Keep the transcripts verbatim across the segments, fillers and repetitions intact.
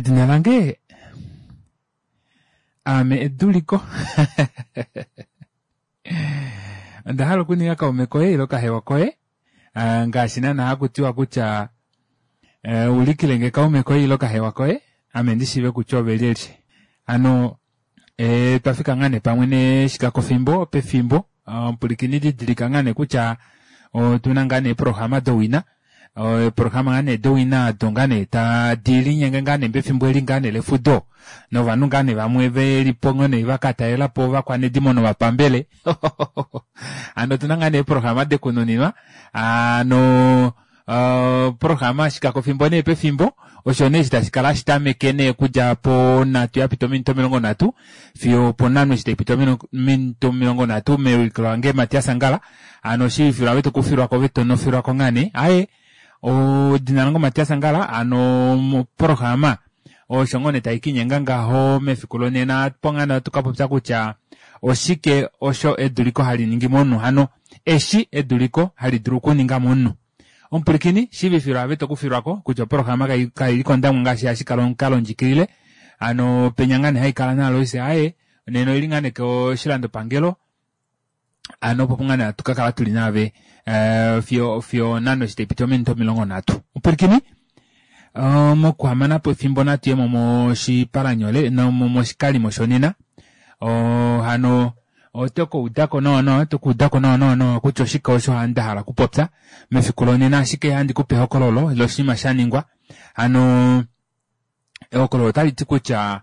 Edina lange aame Eduliko. Onda hala okuninga kaume koye ile kahewa koye ngaashi naana hakutiwa kutya ulikilenge kaume koye ile kahewa koye ame ndishiive kutya oove lyelye. Hano twafika ngaa nee pamwe neshikakofimbo pefimbo omupwilikini didilika ngaa nee kutya otuna ngaa nee eeprograma dowina eeprograma ngaa nee dowina odo ngaa nee tadilinyenge ngaa nee pefimbo eli ngaa nee lefudo novanhu ngaa nee vamwe velipo ngoo nee vakatalelapo ovakwanedimo novapambele hano otuna ngaa nee eeprograma dekununinwa hano oprograma shikakofimbo nee pefimbo osho nee eshi tashikala hashitameke nee okudja ponhatu yapita ominute omilongo nhatu fiyo oponhano eshi taipiti ominute omilongo nhatu mewiliko lange Matias Angala hano shiivifilwa ove tokufilwako ove tonofilwako ngaa nee aaye edina lange Matias Angala hano moprograma osho ngoo nee taikiinyenga ngaho mefiku lonena opo ngaa nee hatu kapopya kutya oshike osho eduliko haliningi momunhu hano eshi eduliko hali dulu okuninga momunhu. Omupwilikini shiivifilwa ove tokufilwako kutya oprograma kaili kOndangwa ngaashi hashikala omukalo ndjikilile hano penya ngaa nee haikala naAlois aaye nena oili ngaa nee koshilandopangelo hano opo ngaa nee hatu kakala tuli naave fiyo fiyo onhano eshi taipiti ominute omilongo nhatu. Omupwilikini mokuhamanapo efimbo natuyemo moshipalanyole moshikalimo shonena hano oto kaudako nawa nawa oto kaudako nawa nawa kutya oshike osho ndahala okupopya mefiku lonena ashike ohandi kupe ehokololo loshinima shaningwa hano ehokololo otaliti kutya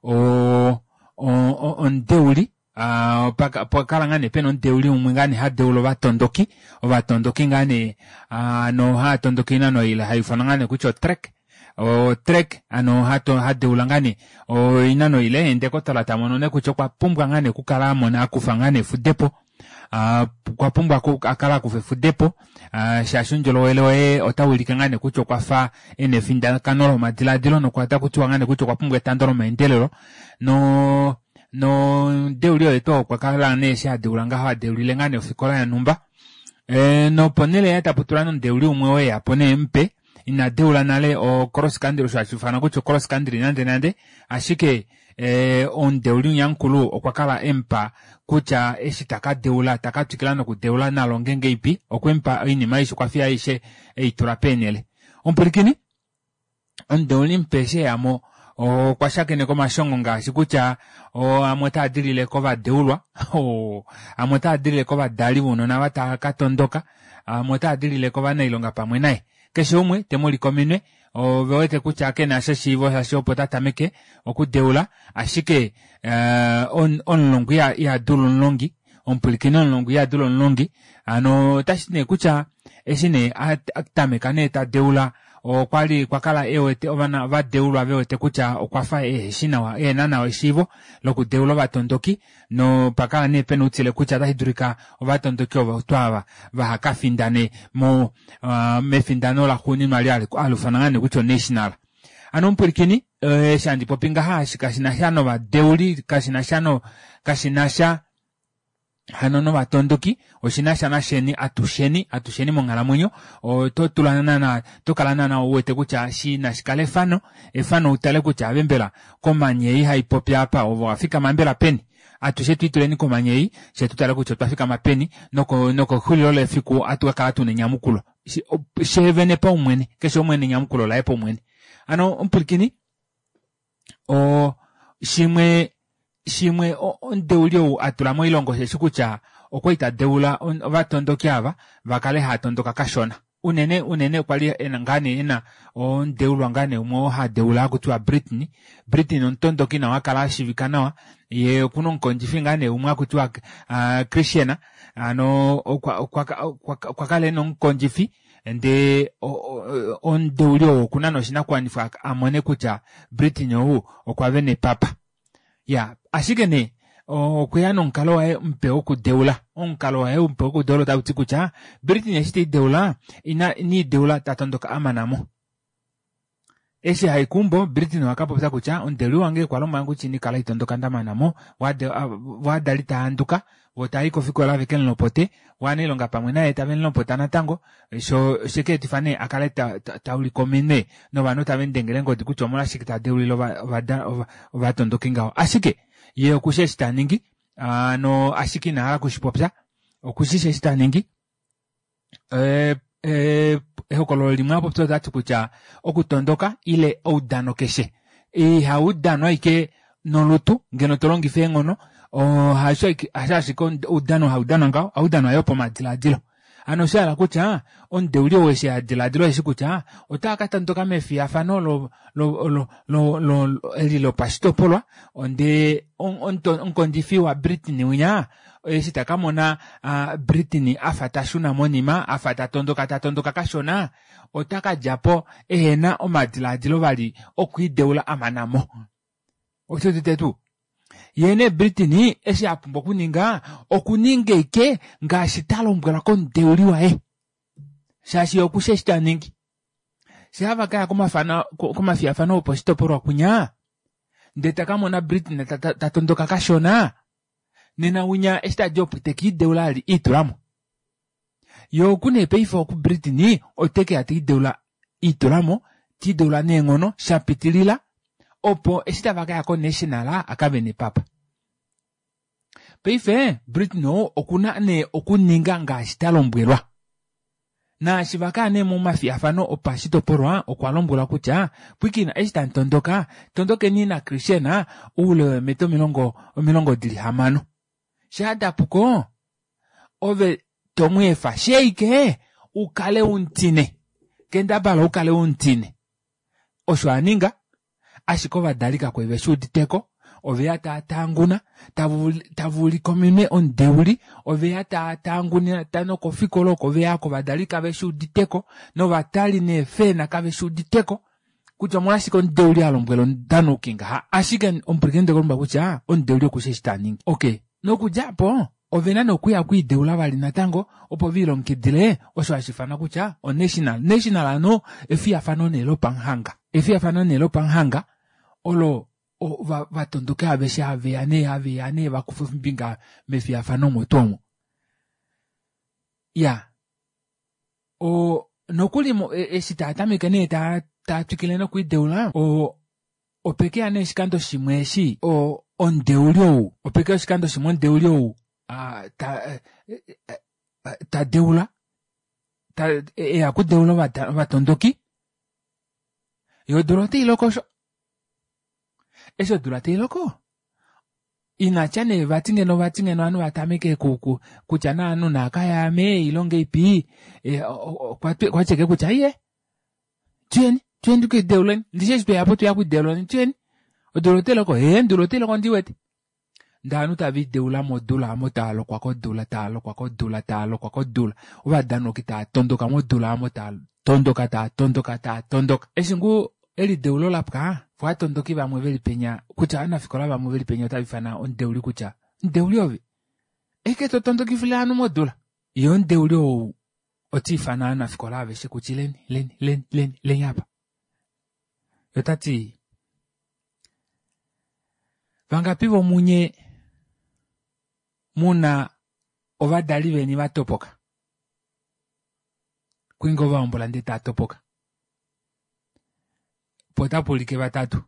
oo omudeuli opakala ngoo nee pena omudeuli umwe ngoo nee hadeula ovatondoki ovatondoki ngoo nee hano haatondoka oinano ile haifanwa ngoo nee kutya otrek otrek hano hadeula ngoo nee oinano ile yee ndokotola tamono nee kutya okwa pumbwa ngoo nee okukala amona akufa ngoo nee efudepo okwa pumbwa akale akufa efudepo shaashi oundjolowele waye otaulike ngoo nee kutya okwafa ena efindakano lomadilaadilo notakutiwa ngoo nee kutya okwa pumbwa etando lomeendelelo noo nomudeuli oye tuu ou okwakala nee eshi adeula ngaho adeulile ngoo nee ofikola yonhumba noponele yaye taputulwa nee omudeuli umwe oo eyapo nee mupe ina deula nale o cross country osho hashiifanwa kutya o cross country nande nande ashike omudeuli winya mukulu okwa kala emupa kutya eshi takadeula takatwikila nokudeula nalonge ngahelipi okwemupa oinima aishe okwafiya aishe eitula peenele. Omupwilikini omudeuli mupe eshi eyamo okwa shakeneka omashongo ngaashi kutya amwe otaadilile kovadeulwa amwe otaadilile kovadali vounona ava taakatondoka amwe otaadilile kovanailonga pamwe naye keshe umwe temuulike ominwe ovewete kutya kenasha eshiivo shaashi opo tatameke okudeula ashike omulongwa ihadulu omulongi omupwilikini omulongwa ihadulu omulongi hano otashiti nee kutya eshi nee atameka nee tadeula okwali okwakala ewete ovadeulwa vewete kutya okwafa eheshi nawa ehena nawa eshiivo lokudeula ovatondoki nopakala nee pena outile kutya otashidulika ovatondoki ovo tuu ava vahakafindane mo mefindano laxuuninwa eli haliufanwa ngaa nee kutya o national. Hano omupwilikini eshi handi popi ngaha kashinasha novadeuli kashinasha kashinasha hano novatondoki oshinasha nafyeni atusheni atusheni monghalamwenyo ototula naana otokala naana uwete kutya nashikale efano efano utale kutya ove mbela komanya ei haipopi aapa ove owafikama mbela peni atushe twiituleni komanya ei fyee tutale kutya otwafikama peni nokexulilo lefiku ohatu kakala tuna enyamukulo sheevene paumwene keshe umwe ena enyamukulo laye paumwene. Hano omupwilikini oo shimwe shimwe omudeuli ou atula moilonga osheshi kutya okwali tadeula ovatondoki ava vakale haatondoka kashona unene unene kwali ena ngoo nee ena omudeulwa ngoo nee umwe oo hadeula hakutiwa Britney. Britney omutondoki nawa akala ashiivika nawa yee okuna omukondjifi ngoo nee umwe hakutiwa Christian hano okwakala ena omukondjifi ndee omudeuli ou okuna nee oshinakuwanifwa amone kutya Britney ou okwavena epapa. Iyaa ashike nee okweya nomukalo waye mupe wokudeula omukalo waye mupe wokudeula otauti kutya Britney eshi telideula ina iniideula tatondoka amanamo Eshi hayi keumbo Britney okwa kutya omudeuli wange okwa lombwelange kutya ina kala haitondoka ndamanamo voo ovadali tavahanduka voo tavayi kofikola vekemulopote voo ovanailonga pamwe naye tavemulopota natango shoo oshekeetifa nee akale taulike ominwe novanhu tavemudengele eengodi kutya omolwashike tadeulile ovatondoki ngaho ashike yee okushi eshi taningi hano ashike inahala okushipopya okushishi eshi taningi ee ee ehokololo limwe apopya otati kutya okutondoka ile oudano keshe ihaudanwa ashike nolutu ngeno tolongifa eenghono hasho ashike oudano haudanwa ngaho ohaudanwa yoo pamadilaadilo hano oshahala kutya omudeuli ou eshi adilaadila osheshi kutya otaakatondoka mefiyafano lo lo lo lo eli lopashitopolwa ndee omukondjifi wa Britney winya eshi takamona Britney afa tashuna monima afa tatondoka tatondoka kashona otakadjapo ehena omadilaadilo vali okwiideula amanamo oshuudite tuu yee nee Britney eshi apumbwa okuninga okuninga ashike ngaashi talombwelwa komudeuli waye shaashi okushi eshi taningi shaa vakaya komafiyafano opashitopolwa kwinya ndee takamona Britney tatondoka kashona nena winya eshi tadi opo tekiideula vali elitulamo yee oku nee paife oku Britney otekeya telideula elitulamo tiideula neenghono shapitilila opo eshi tavakaya ko national akavene epapa paife Britney ou okuna nee okuninga ngaashi talombwelwa naashi vakaya nee momafiyafano opashitopolwa okwa lombwelwa kutya pwiikina eshi tamutondoka tondokeni na Christian oule weemeta omilongo omilongo dili hamano shaa dapuko ove tomweefa sheike ukale umutine kendabala ukale umutine osho aninga ashike ovadali kakwali veshuuditeko oveya taatanguna tavuulike ominwe omudeuli oveya taatanguna nokofikola oko veya ovadali kaveshuuditeko novatali neefena kaveshuuditeko kutya omolwashike omudeuli alombwela omudanauki ngaha ashike omupwilikini ndekulombwela kutya omudeuli okushi eshi taningi okay nokudja aapo ovena nee okuya okwiideula vali natango opo viilongekidile osho hashiifanwa kutya o national national hano efiyafano nee lopamuhanga efiyafano nee lopamuhanga olo ovatondoki aveshe haveya nee haveya nee vakufe ombinga mefiyafano omo tuu omo iyaa oo nokuli eshi taatameke nee taatwikile nokwiideula oo opekeya nee oshikando shimwe eshi o omudeuli ou opekeya oshikando shimwe omudeuli ou ta tadeula eya okudeula ovatondoki yoo odula otailoko osho eshi odula tailoko inatya nee vati ngeno vati ngeno ovanhu vatameke kutya nee ovanhu naakayaame ile ongeipi okwati ashike kutya iye tuyeni tuyeni tukiideuleni ndishi eshi tweyapo tweya okwiideuleni tuyeni odula otailoko ee odula otailoko ondiwete ndee ovanhu taviideula modula aamo taalokwa kodula taalokwa kodula taalokwa kodula ovadanauki taatondoka modula aamo taatondoka taatondoka taatondoka eshi ngoo elideulo lapwa voo ovatondoki vamwe veli penya kutya ovanafikola vamwe veli penya otaviifana omudeuli kutya mudeuli ove ashike totondokifile ovanhu modula yee omudeuli ou otiifana ovanafikola aveshe kutya ileni ileni ileni ileni ileni apa yee otati vangapi vomunye muna ovadali veni vatopoka kwali ngoo vahombola ndee taatopoka po otapuulike vatatu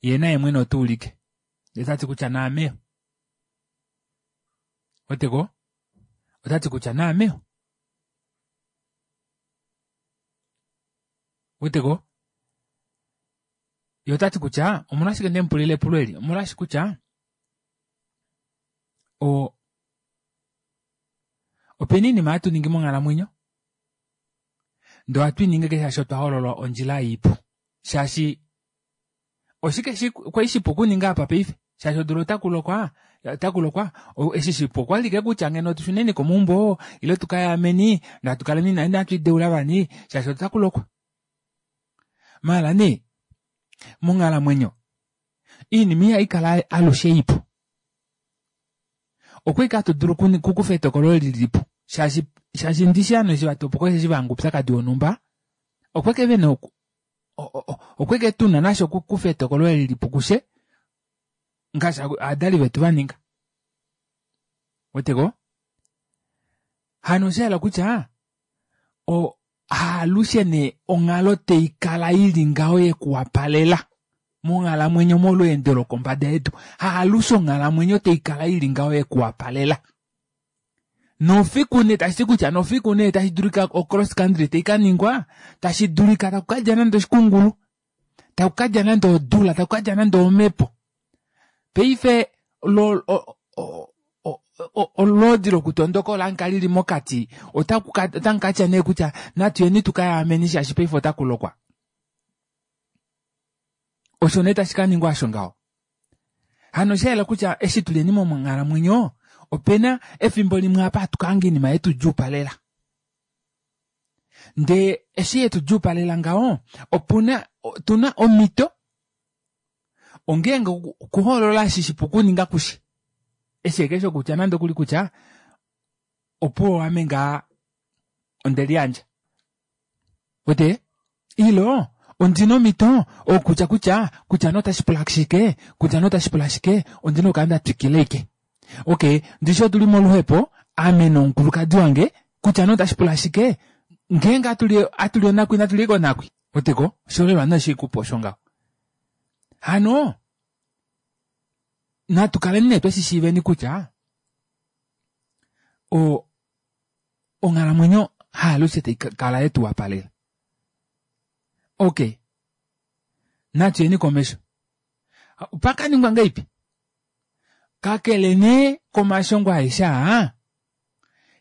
yee naye mwene otuulike ndee tati kutya naame ouweteko otati kutya naame ouweteko yee otati kutya omolwashike ndemupulila epulo eli omolwaashi kutya o opena oinima hatu ningi monghalamwenyo ndee ohatu iningi ashike shaashi otwa hoolola ondjila ipu shaashi oshike kwali shipu okuninga apa paife shaashi odula otakulokwa otakulokwa eshi shipu okwali ashike kutya ngeno tushuneni komaumbo ile tukayaameni natukaleni inatwiideula vali shaashi otakulokwa maala nee monghalamwenyo oinima ihaikala alushe ipu okwali ashike hatu dulu okukufa etokolo lilipo shaashi shaashi ndishi ovanhu eshi vatopoka osheshi vahanga oupyakadi wonhumba okwali vena Okweke tuna nasho okukufa etokolo eli lipu kushe ngaashi ovadali vetu vaninga. Ouweteko? Hano oshahala kutya o haalushe nee onghalo taikala ili ngaho yekuwapalela monghalamwenyo molweendo lokombada yedu. Haalushe onghalamwenyo taikala ili ngaho yekuwapalela. Nofiku nee tashiti kutya nofiku nee tashi dulika o cross country taikaningwa tashi dulika taku kadja nande oshikungulu taku kadja nande odula taku kadja nande omepo. Paife lo olwoodi lokutondoka ola lili mokati otamukatya nee kutya natuyeni tukayaameni shaashi paife otakulokwa. Osho nee tashi kaningwa osho ngaho. Hano oshayela kutya eshi tuleni monghalamwenyo opena efimbo limwe apa hatu kahanga oinima yetudjuupalela. Ndee eshi yetudjuupalela ngaho opuna tuna omhito ongeenge okuhoolola eshi shipu okuninga kushe. Eshi ashike shokutya nande okuli kutya opuwo ame ngaa ondeliyandja. Wete? Ilo ondina omhito okutya kutya kutya nee otashi pula shike kutya nee otashi pula shike ondina okukala ndatwikila ashike. Okey ndishi otuli moluhepo ame nomukulukadi wange kutya nee otashi pula shike ngeenge atuli atuli onakwi natuli ashike onakwi. Ouweteko oshiholelwa nee shikupa osho ngaho. Hano natu kaleni nee tweshishiiveni kutya o onghalamwenyo haalushe taikala yetuwapalela. Okey natuyeni komesho. Opakaningwa ngahelipi? Kakele nee komashongo aeshe aa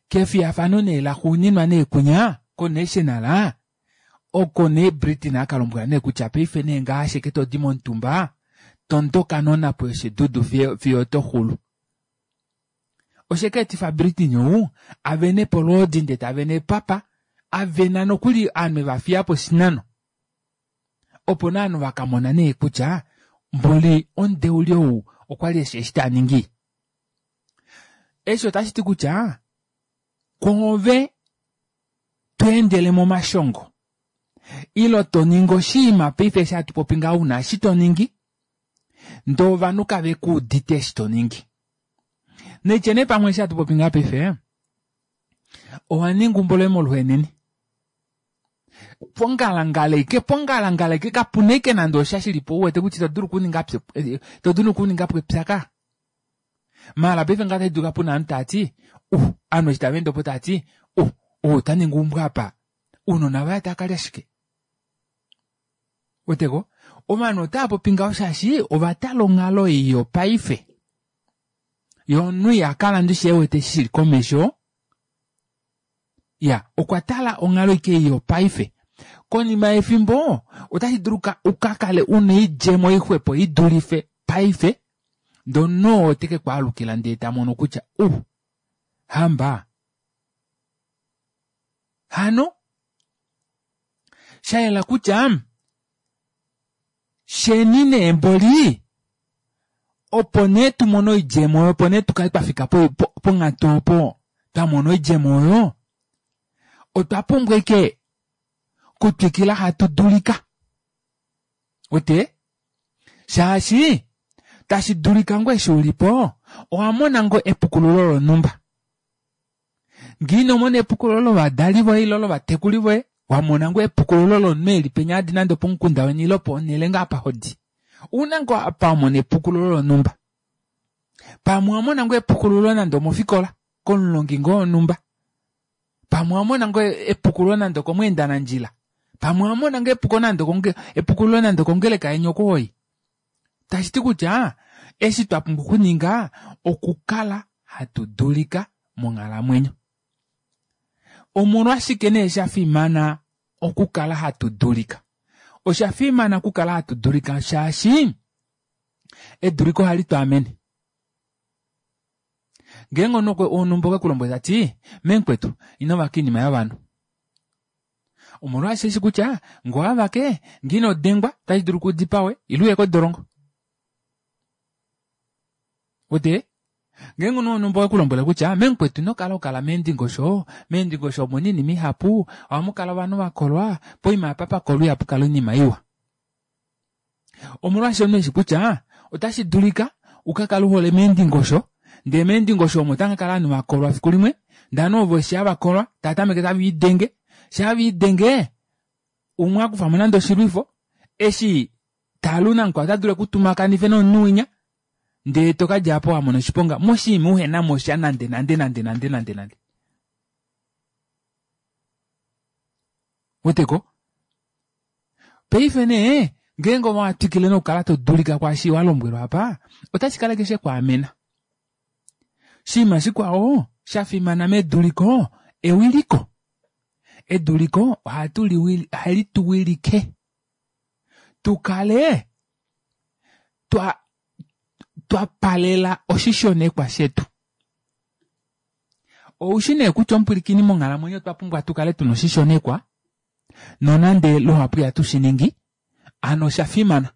kefiyafano nee laxuuninwa nee kunya ko national oko nee Britain akalombwela nee kutya paife nee ngaha ashike todi momutumba tondoka nonhapo yoshidudu fiyo otoxulu. Oshekeetifa Britain ou avenepo olwoodi ndee tavene epapa avena nokuli ovanhu evafiyapo oshinano. Opo nee ovanhu vakamona nee kutya mboli omudeuli ou okwali eshi eshi taningi. Eshi otashiti kutya kwoove tweendele momashongo ile toningi oshinima paife eshi hatu popi ngaha una eshi toningi ndee ovanhu kavekuudite eshi toningi. Naitye nee pamwe eshi hatu popi ngaha paife owaninga eumbo loye moluhenene. Pongalangala ashike pongalangala ashike kapuna ashike nande osha shilipo uwete kutya ito dulu okuninga ito dulu okuningapo epya maala paife ngaha ota shidulika puna ovanhu taati uh ovanhu eshi tavaende opo taati uh ou otaningi eumbo apa ounona vaye otavakalya shike. Ouweteko ovanhu otaapopi ngaho shaashi ovatala onghalo ei yopaife yee omunhu ihakala ndishi ewete eshi shili komesho. Iyaa okwatala onghalo ashike ei yopaife. Konima yefimbo otashi dulu ukakale una oidjemo ixwepo idulife paife ndee omunhu oo otekekwaalukila ndee tamono kutya uh hamba. Hano shayela kutya sheni nee mboli opo nee tumone oidjemo oyo opo nee tukale twafika ponghatu opo twamona oidjemo oyo otwa pumbwa ashike okutwikila hatu dulika. Uwete shaashi tashi dulika ngoo eshi ulipo owamona ngoo epukululo lonhumba. Ngee inomona epukululo lovadali voye ile lovatekuli voye wamona ngoo epukululo lomunhu eli penya hadi nande opomukunda weni ile ponele ngoo apa hodi. Ouna ngoo apa wamona epukululo lonhumba. Pamwe owamona ngoo epukululo nande omofikola komulongi ngoo wonhumba. Pamwe owamona ngoo epukululo nande okomweenda nandjila. Pamwe owamona ngoo epuko nande epukululo nande okongeleka yeni oko hoyi. Tashiti kutya eshi twapumbwa okuninga okukala hatu dulika monghalamwenyo. Omolwashike nee shafimana okukala hatu dulika? Oshafimana okukala hatu dulika shaashi eduliko ohali twaamene. Ngeenge omunhu wonhumba okwekulombwele tati memukwetu inovaka oinima yovanhu. Omolwaashi eshi kutya ngee owavake ngee inodengwa ota shidulika udipawe ile uye kodolongo. Uwete? Ngeenge omunhu wonhumba okwekulombwele kutya memukwetu inokala hokala meendingosho, meendingosho omuna oinima ihapu ohamukala ovanhu vakolwa poima apa pakolwa ihapukala oinima iwa. Omolwaashi omunhu eshi kutya otashi dulika ukakale uhole meendingosho ndee meendingosho omo otamukakala ovanhu vakolwa efiku limwe ndee ovanhu ovo eshi havakolwa taatameke taviidenge shaa viidenge umwe akufamo nande oshilwifo eshi talu namukwao otadulu ekutumakanife nomunhu winya ndee tokadja aapo wamona oshiponga moshinima uhenamosha nande nande nande nande nande nande ouweteko paife nee ngeenge owatwikile nokukala todulika kwaashi walombwelwa aapa otashi kala ashike shekwaamena oshinima shikwao shafimana meduliko ewiliko eduliko ohali tuwilike tukale twa twapalela oshishonekwa shetu oushi nee kutya omupwilikini monghalamwenyo otwa pumbwa tukale tuna oshishonekwa nonande luhapu ihatu shiningi hano oshafimana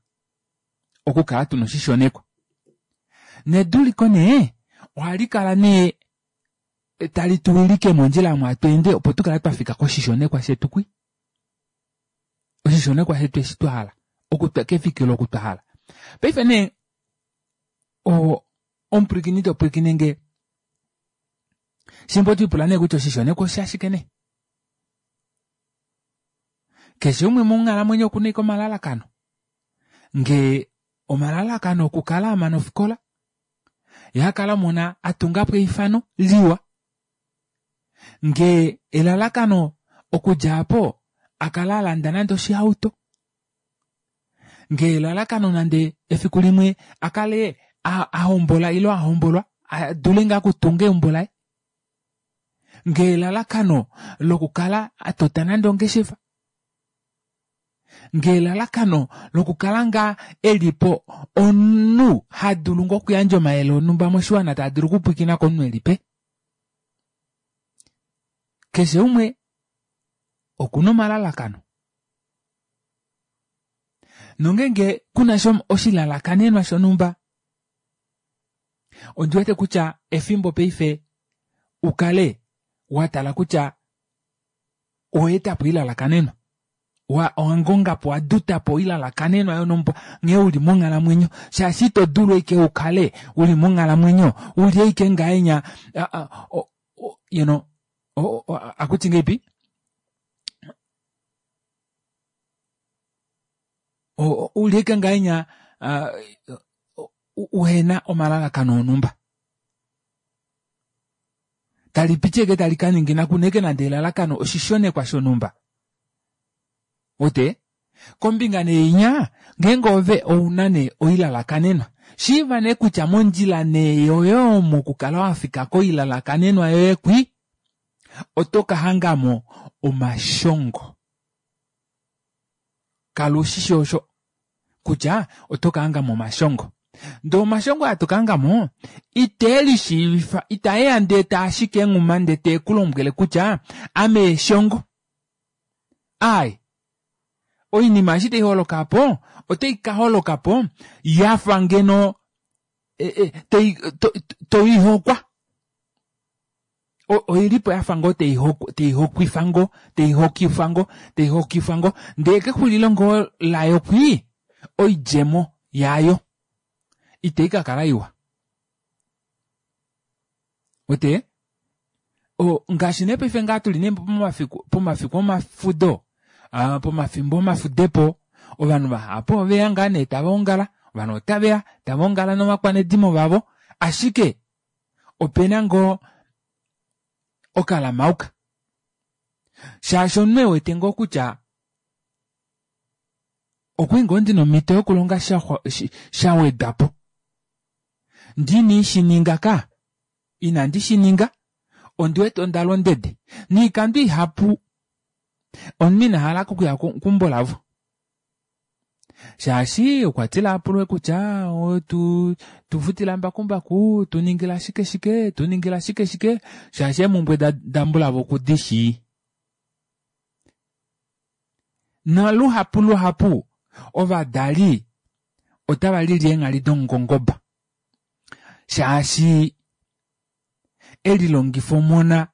okukala tuna oshishonekwa neduliko nee ohalikala nee tali tuwilike mondjila omo hatweende opo tukale twafika koshishonekwa shetu kwi oshishonekwa shetu eshi twahala kefikilo oku twahala paife nee oo omupwilikini topwilikinenge shimba otwiipula nee kutya oshishonekwa oshashike nee keshe umwe monghalamwenyo okuna ashike omalalakano ngee omalalakano okukala amana ofikola yee akale amona atungapo eifano liwa ngee elalakano okudja aapo akale alanda nande oshihauto ngee elalakano nande efiku limwe akale ahombola ile ahombolwa adule ngaa okutunga eumbo laye ngee elalakano lokukala atota nande ongeshefa ngee elalakano lokukala ngaa elipo omunhu hadulu ngoo okuyandja omayele onumba moshiwana taadulu okupwiikinwa komunhu elipe keshe umwe okuna omalalakano nongeenge kunasha oshilalakanenwa shonumba ondiwete kutya efimbo paife ukale watala kutya owaetapo oilalakanenwa owangongapo owadutapo oilalakanenwa yonumba nghee uli monghalamwenyo shaashi ito dulu ashike ukale uli monghalamwenyo uli ashike ngahenya you know akuti ngahelipi uli ashike ngahenya uhena omalalakano onumba talipiti ashike tali kaningina kuna ashike nande elalakano oshishonekwa shonumba ouwete kombinga nee inya ngeenge ove ouna nee oilalakanenwa shiiva nee kutya mondjila nee yoye omo okukala wafika koilalakanenwa yoye kwi oto kahangamo omashongo kala ushishi osho kutya oto kahangamo omashongo ndee omashongo aa tokahangamo iteelishiivifa itaeya ndee taashiki enghuma ndee tekulombwele kutya ame eshongo aaye oinima eshi taiholokapo otaikaholokapo yafa ngeno toihokwa oilipo yafa ngoo taihokwifa ngoo taihokifa ngoo taihokifa ngoo ndee kexulilo ngoo layo kwii oidjemo yayo ita ikakala iwa uwete ngaashi nee paife ngaha tuli nee pomafiku pomafiku omafudo aa pomafimbo omafudepo ovanhu vahapu oveya ngaa nee tavaongala ovanhu otaveya tavaongala novakwanedimo vavo ashike opena ngoo okalamauka shaashi omunhu ewete ngoo kutya okwali ngoo ndina omito yokulonga shawedwapo ndee inandishininga kaa inandi shininga ondiwete ondalwa ondede noikando ihapu omunhu inahala okuya keumbo lavo shaashi okwatila apulwe kutya tufutila mbakumbaku tuningila shike shike tuningila shike shike shaashi eemumbwe dambulavo okudishii naluhapu luhapu ovadali otava lili eenghali domungongoba shaashi elilongifa omona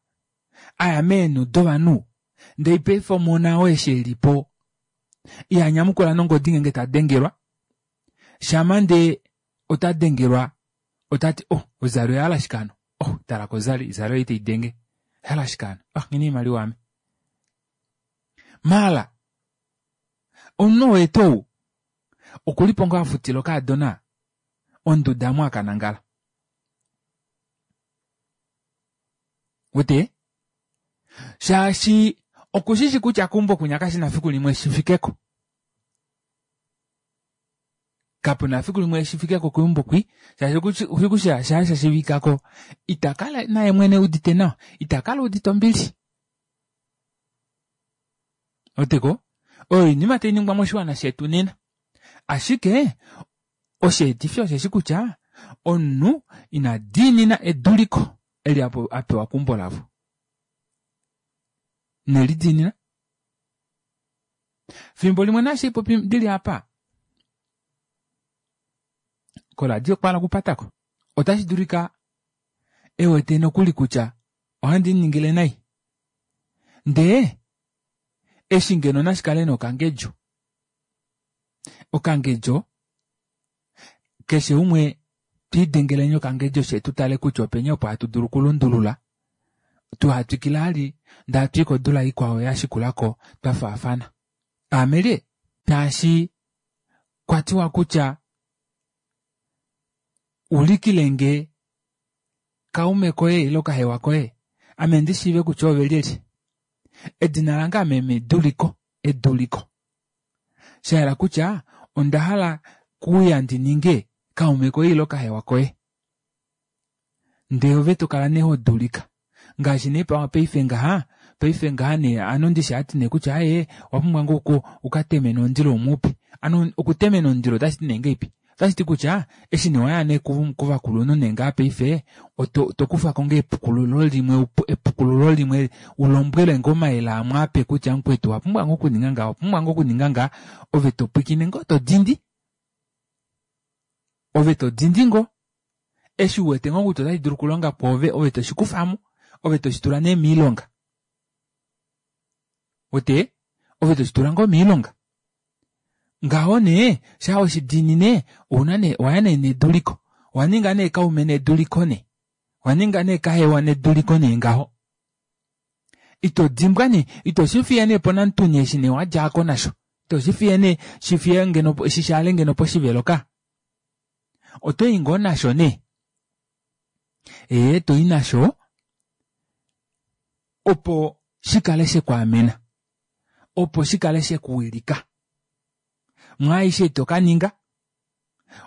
aya meenhu dovanhu ndee paife omona oo eshi elipo ihanyamukula nongodi ngeenge tadengelwa Shama ndee ota dengelwa otati oh ozali oyahala shike hano, oh tala kozali zali ei taidenge oyahala shike hano, ah nghina oimaliwa ame. Maala omunhu wetu ou okulipo ngoo afutila okaadona onduda omo akanangala. Wete? Shaashi okushishi kutya keumbo kwinya kashina fiku limwe shifikeko. Kapuna fiku limwe shifikeko keumbo kwi shaashi okushi shaa shashiivikako itakala naye mwene udite nawa, itakala udite ombili. Weteko? Oyo oinima tainingwa moshiwana shetu nena. Ashike osheetifi osheshi kutya omunhu ina diinina eduliko eli apewa keumbo lavo. Nelidiinina. Fimbo limwe naashi popi ndili apa koradio okwa hala okupatako. Otashi dulika ewete nokuli kutya ohandi ningile nai. Ndee eshi ngeno nashikale nokangedjo. Okangedjo keshe umwe twiidengeleni okangedjo she tutale kutya openi opo hatu dulu okulundulula tuhatwikile ali ndee hatui kodula ikwao yashikulako twafaafana. Aame lye shaashi kwatiwa kutya ulikilenge kaume koye ile kahewa koye ame ndishiive kutya ove lyelye. Edina lange ame meduliko, eduliko. Shahala kutya onda hala kuuya ndi ninge kaume koye ile kahewa koye. Ndee ove tokala nee hodulika. Ngaashi nee paife ngaha, paife ngaha nee ano ndishi hati nee kutya aaye owapumbwa ngoo ukatemene omundilo umwe upe. Ano okutemena omundilo otashiti nee ngahelipi? Otashiti kutya eshi nee waya nee kovakulunhu nee ngaha paife tokufako ngoo epukululo limwe epukululo limwe ulombwelwe ngoo omayele amwe ape kutya mukwetu owapumbwa ngoo okuninga ngaha, owapumbwa ngoo okuninga ngaha, ove topwiikine ngoo todindi. Ove todindi ngoo. Eshi uwete ngoo kutya otashi dulu okulonga pwoove ove toshikufamo, ove toshitula nee moilonga. Wete? Ove toshitula ngoo moilonga. Ngaho nee shaa weshidiinine ouna nee owaya nee neduliko. Owaninga nee kaume neduliko nee. Owaninga nee kahewa neduliko nee ngaho. Ito dimbwa nee, ito shifiye nee ponamutuni eshi nee wadjaako nasho. Ito shifiye nee shifiye ngeno shishaale ngeno poshivelo ka. Otoyi ngoo nasho nee. Ee toyi nasho opo shikale shekwaamena. Opo shikale shekuwilika. Mwaaishe tokaninga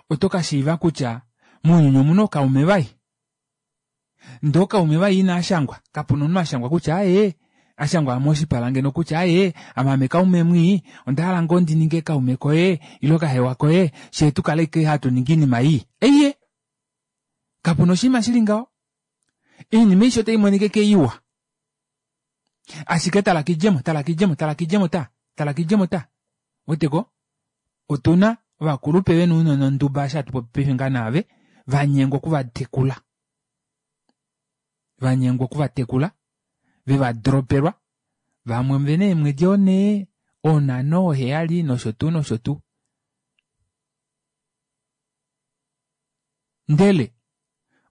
oto kashiiva kutya mounyuni omuna ookaume vai. Ndee ookaume vai inaashangwa, kapuna omunhu ashangwa kutya aaye ashangwa moshipala ngeno kutya aaye ame aame kaume mwii ondahala ngoo ndininge kaume koye ile kahewa koye fyee tukale ashike hatu ningi oinima ii. Eiye! Kapuna oshinima shili ngaho. Oinima aishe otaimonika ashike iwa. Ashike tala kidjemo, tala kidjemo, tala kidjemo ta, tala kidjemo ta. Weteko? Otuna ovakulupe vena ounona onduba eshi hatu popi paife ngaha naave vanyengwa okuvatekula. Vanyengwa okuvatekula vevadropelwa vamwe ovena eemwedi onhee, onhano, oheyali nosho tuu nosho tuu. Ndele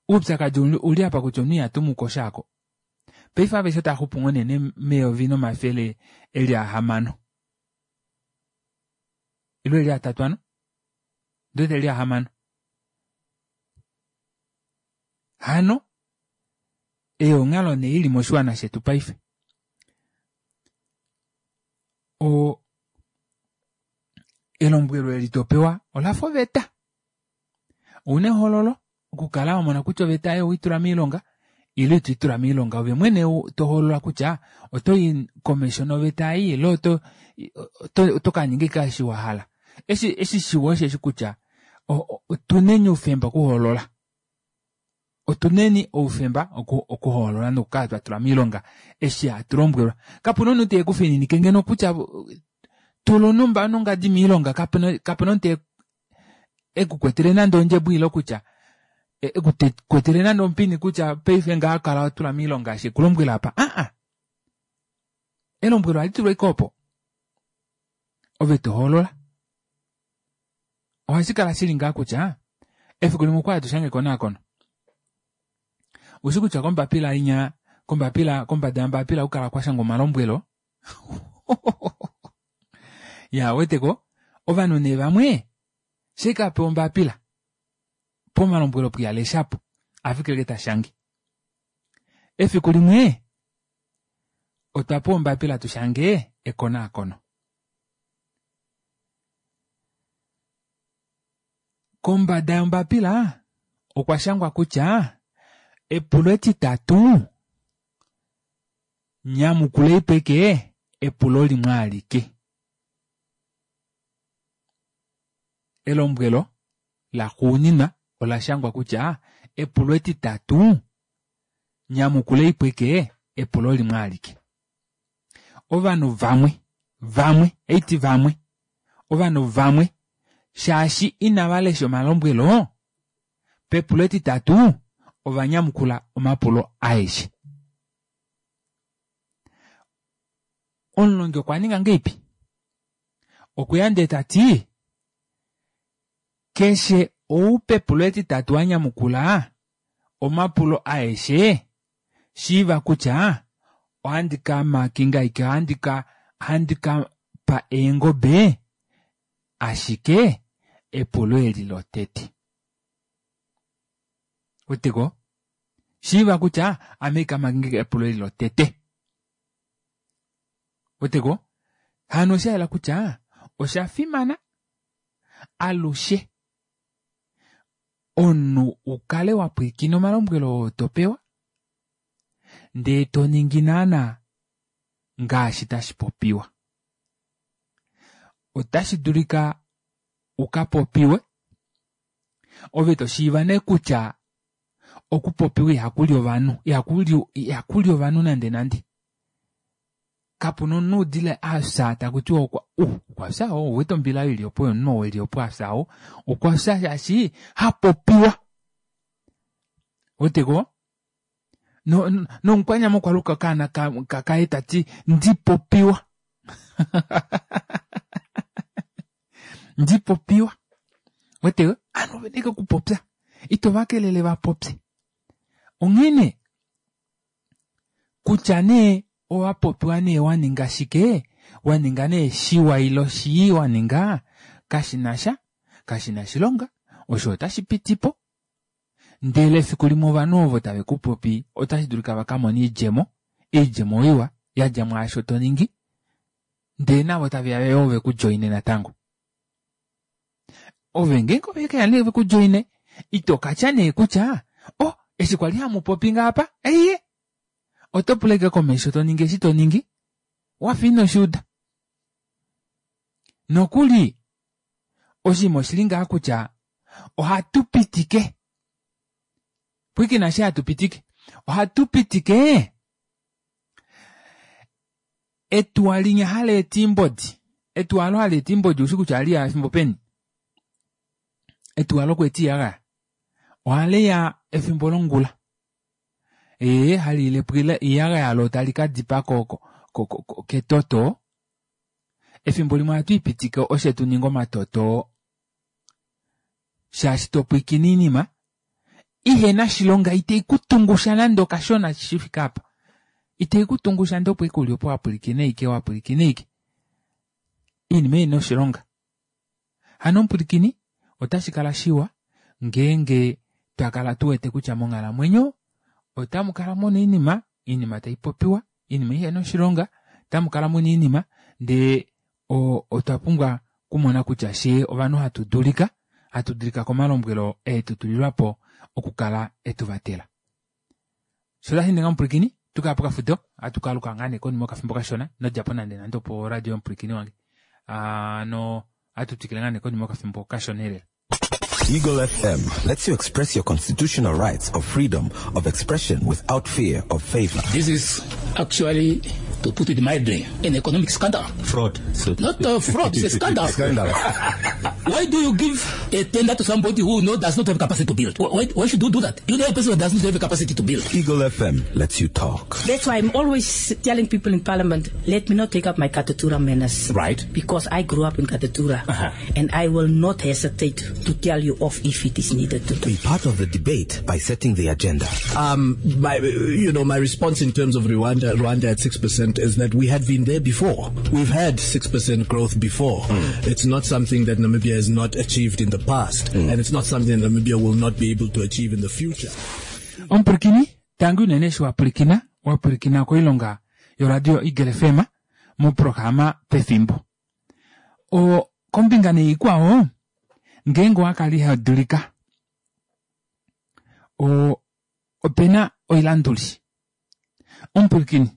oupyakadi uli apa kutya omunhu ihatumu ko shaako. Paife aveshe otava xupu ngoo nee meyovi nomafele eli ahamano. Ile eli atatu hano? Ndiwete eli ahamano. Hano ei onghalo nee ili moshiwana shetu paife. O elombwelo eli topewa olafa oveta. Ouna ehoololo okukala wamona kutya oveta ei oweitula moilonga ile ito itula moilonga ove mwene tohoolola kutya otoyi komesho noveta ei ile oto oto kaninga ashike eshi wahala. Eshi eshi shiwa osheshi kutya otuneni oufemba okuhoolola. Otuneni oufemba okuhoolola nokukala twatula moilonga eshi hatu lombwelwa. Kapuna omunhu tekufininike ngeno kutya tula onumba nongadi moilonga kapena kapena omunhu ekukwetele nande ondjebo ile kutya ekukwetele nande omupini kutya paife ngaha kala watula moilonga eshi ekulombwela apa. Aa! Elombwelo ohali tulwa ashike opo. Ove tohoolola. Ohashi kala shili ngaa kutya efiku limwe okwali hatu shange ekonakono. Ushi kutya kombapila inya kombapila kombada yombapila ohakukala kwashangwa omalombwelo. Iyaa ouweteko ovanhu nee vamwe shaike apewa ombapila pomalombwelo opo ihaleshapo ohafikile ashike tashange. Efiku limwe otwa pewa ombapila tushange ekonakono. Kombada yombapila okwa shangwa kutya epulo etitatu nyamukuleipo ashike epulo limwe alike. Elombwelo laxuuninwa ola shangwa kutya epulo etitatu nyamukuleipo ashike epulo limwe alike. Ovanhu vamwe vamwe haiti vamwe ovanhu vamwe shaashi inavalesha omalombwelo pepulo etitatu ovanyamukula omapulo aeshe. Omulongi okwa ninga ngahelipi? Okweya ndee tati keshe ou pepulo etitatu anyamukula omapulo aeshe shiiva kutya ohandi kamakinga ashike ohandi ka ohandi kapa eengobe ashike epulo eli lotete. Ouweteko? Shiiva kutya ame haikamakinga ashike epulo eli lotete. Ouweteko? Hano oshayela kutya oshafimana alushe omunhu ukale wapwilikina omalombwelo oo topewa ndee toningi naana ngaashi tashi popiwa. Otashi dulika ukapopiwe ove toshiiva nee kutya okupopiwa ihakuli ovanhu ihakuli ihakuli ovanhu nande nande. Kapuna omunhu udile afya takutiwa okwa uh okwafya ou ouwete ombila oyo ili opo yomunhu ou eli opo afya ou okwafya shaashi hapopiwa. Ouweteko? Nomukwanyama okwaluka okaana kaye tati ndipopiwa. Ndipopiwa. Ouweteko? Ovanhu ovena ashike okupopya ito vakelele vapopye. Onghene kutya nee owapopiwa nee waninga shike waninga nee shiwa ile shii waninga kashinasha kashina oshilonga osho ota shipitipo ndele efiku limwe ovanhu ovo tave kupopi ota shidulika vakamone oidjemo oidjemo iwa yadja mwaasho toningi ndee navo taveya yoo vekudjoine natango. Ove ngeenge ovekeya nee vekudjoine itokatya nee kutya oh eshi kwali hamupopi ngaapa eiye oto pula ashike komesho toningi eshi toningi wafa inoshiuda. Nokuli oshinima oshili ngaha kutya ohatu pitike pwiikina eshi hatu pitike ohatu pitike etuwa linya haleeta oimbodi etuwa aalo haleeta oimbodi oushi kutya ohaliya efimbo peni? Etuwa lokweeta oiyagaya ohaliya efimbo longula ee haliilepo oiyagaya loo tali kadipa ko ko ketoto. Efimbo limwe ohatu ipitike oshe tuninge omatoto shaashi topwiikine oinima ihena oshilonga iteikutungusha nande okashona shifike aapa. Iteikutungusha ndee opo ashike uli opo wapwilikina ashike wapwilikina ashike oinima ihena oshilonga. Hano omupwilikini otashi kala shiwa ngeenge twakala tuwete kutya monghalamwenyo otamukala muna oinima oinima taipopiwa oinima ihena oshilonga otamukala muna oinima ndee otwa pumbwa okumona kutya fyee ovanhu hatu dulika hatu dulika komalombwelo eetutulilwapo okukala etuvatela. Sho osho omupwilikini otukaya pokafudo ohatu kaaluka ngaa nee konima yokafimbo kashona inodjapo nande nande opo radio yomupwilikini wange. Hano ohatu twikile ngaa nee konima yokafimbo kashona elela. Eagle F M lets you express your constitutional rights of freedom of expression without fear of favor. This is actually, to put it mildly, an economic scandal. Fraud. So Not a fraud, it's a scandal. Scandal. Why do you give a tender to somebody who no, does not have capacity to build? Why, why should you do that? You know a person who does not have a capacity to build. Eagle F M lets you talk. That's why I'm always telling people in Parliament, let me not take up my Katutura manners. Right. Because I grew up in Katutura. Uh-huh. And I will not hesitate to tell you off if it is needed to. Be part of the debate by setting the agenda. Um, my, you know, my response in terms of Rwanda, Rwanda at six percent is that we had been there before. We've had six percent growth before. Mm. It's not something that Namibia has not achieved in the past, mm. and it's not something that Namibia will not be able to achieve in the future. Ompurikini, tangu unene eshi wapulikina, wapulikina koilonga yoradio Eagle F M moprograma pefimbo. O kombinga neikwao, ngeenge owakala ihadulika, o opena oilanduli. Ompurikini,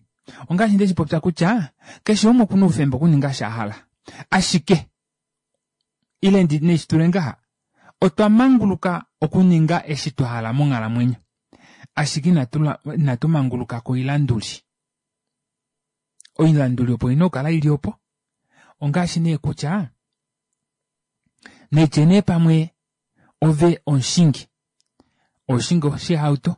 ongaashi ndeshi popya kutya keshe umwe okuna oufemba okuninga sha hala. Ashike ile ndi neshitule ngaha, otwa manguluka okuninga eshi twa hala monghalamwenyo. Ashike inatu, inatu manguluka koilanduli. Oilanduli opo ina okukala ili opo. Ongaashi nee kutya netye nee pamwe ove omushingi, oshingi oshihauto,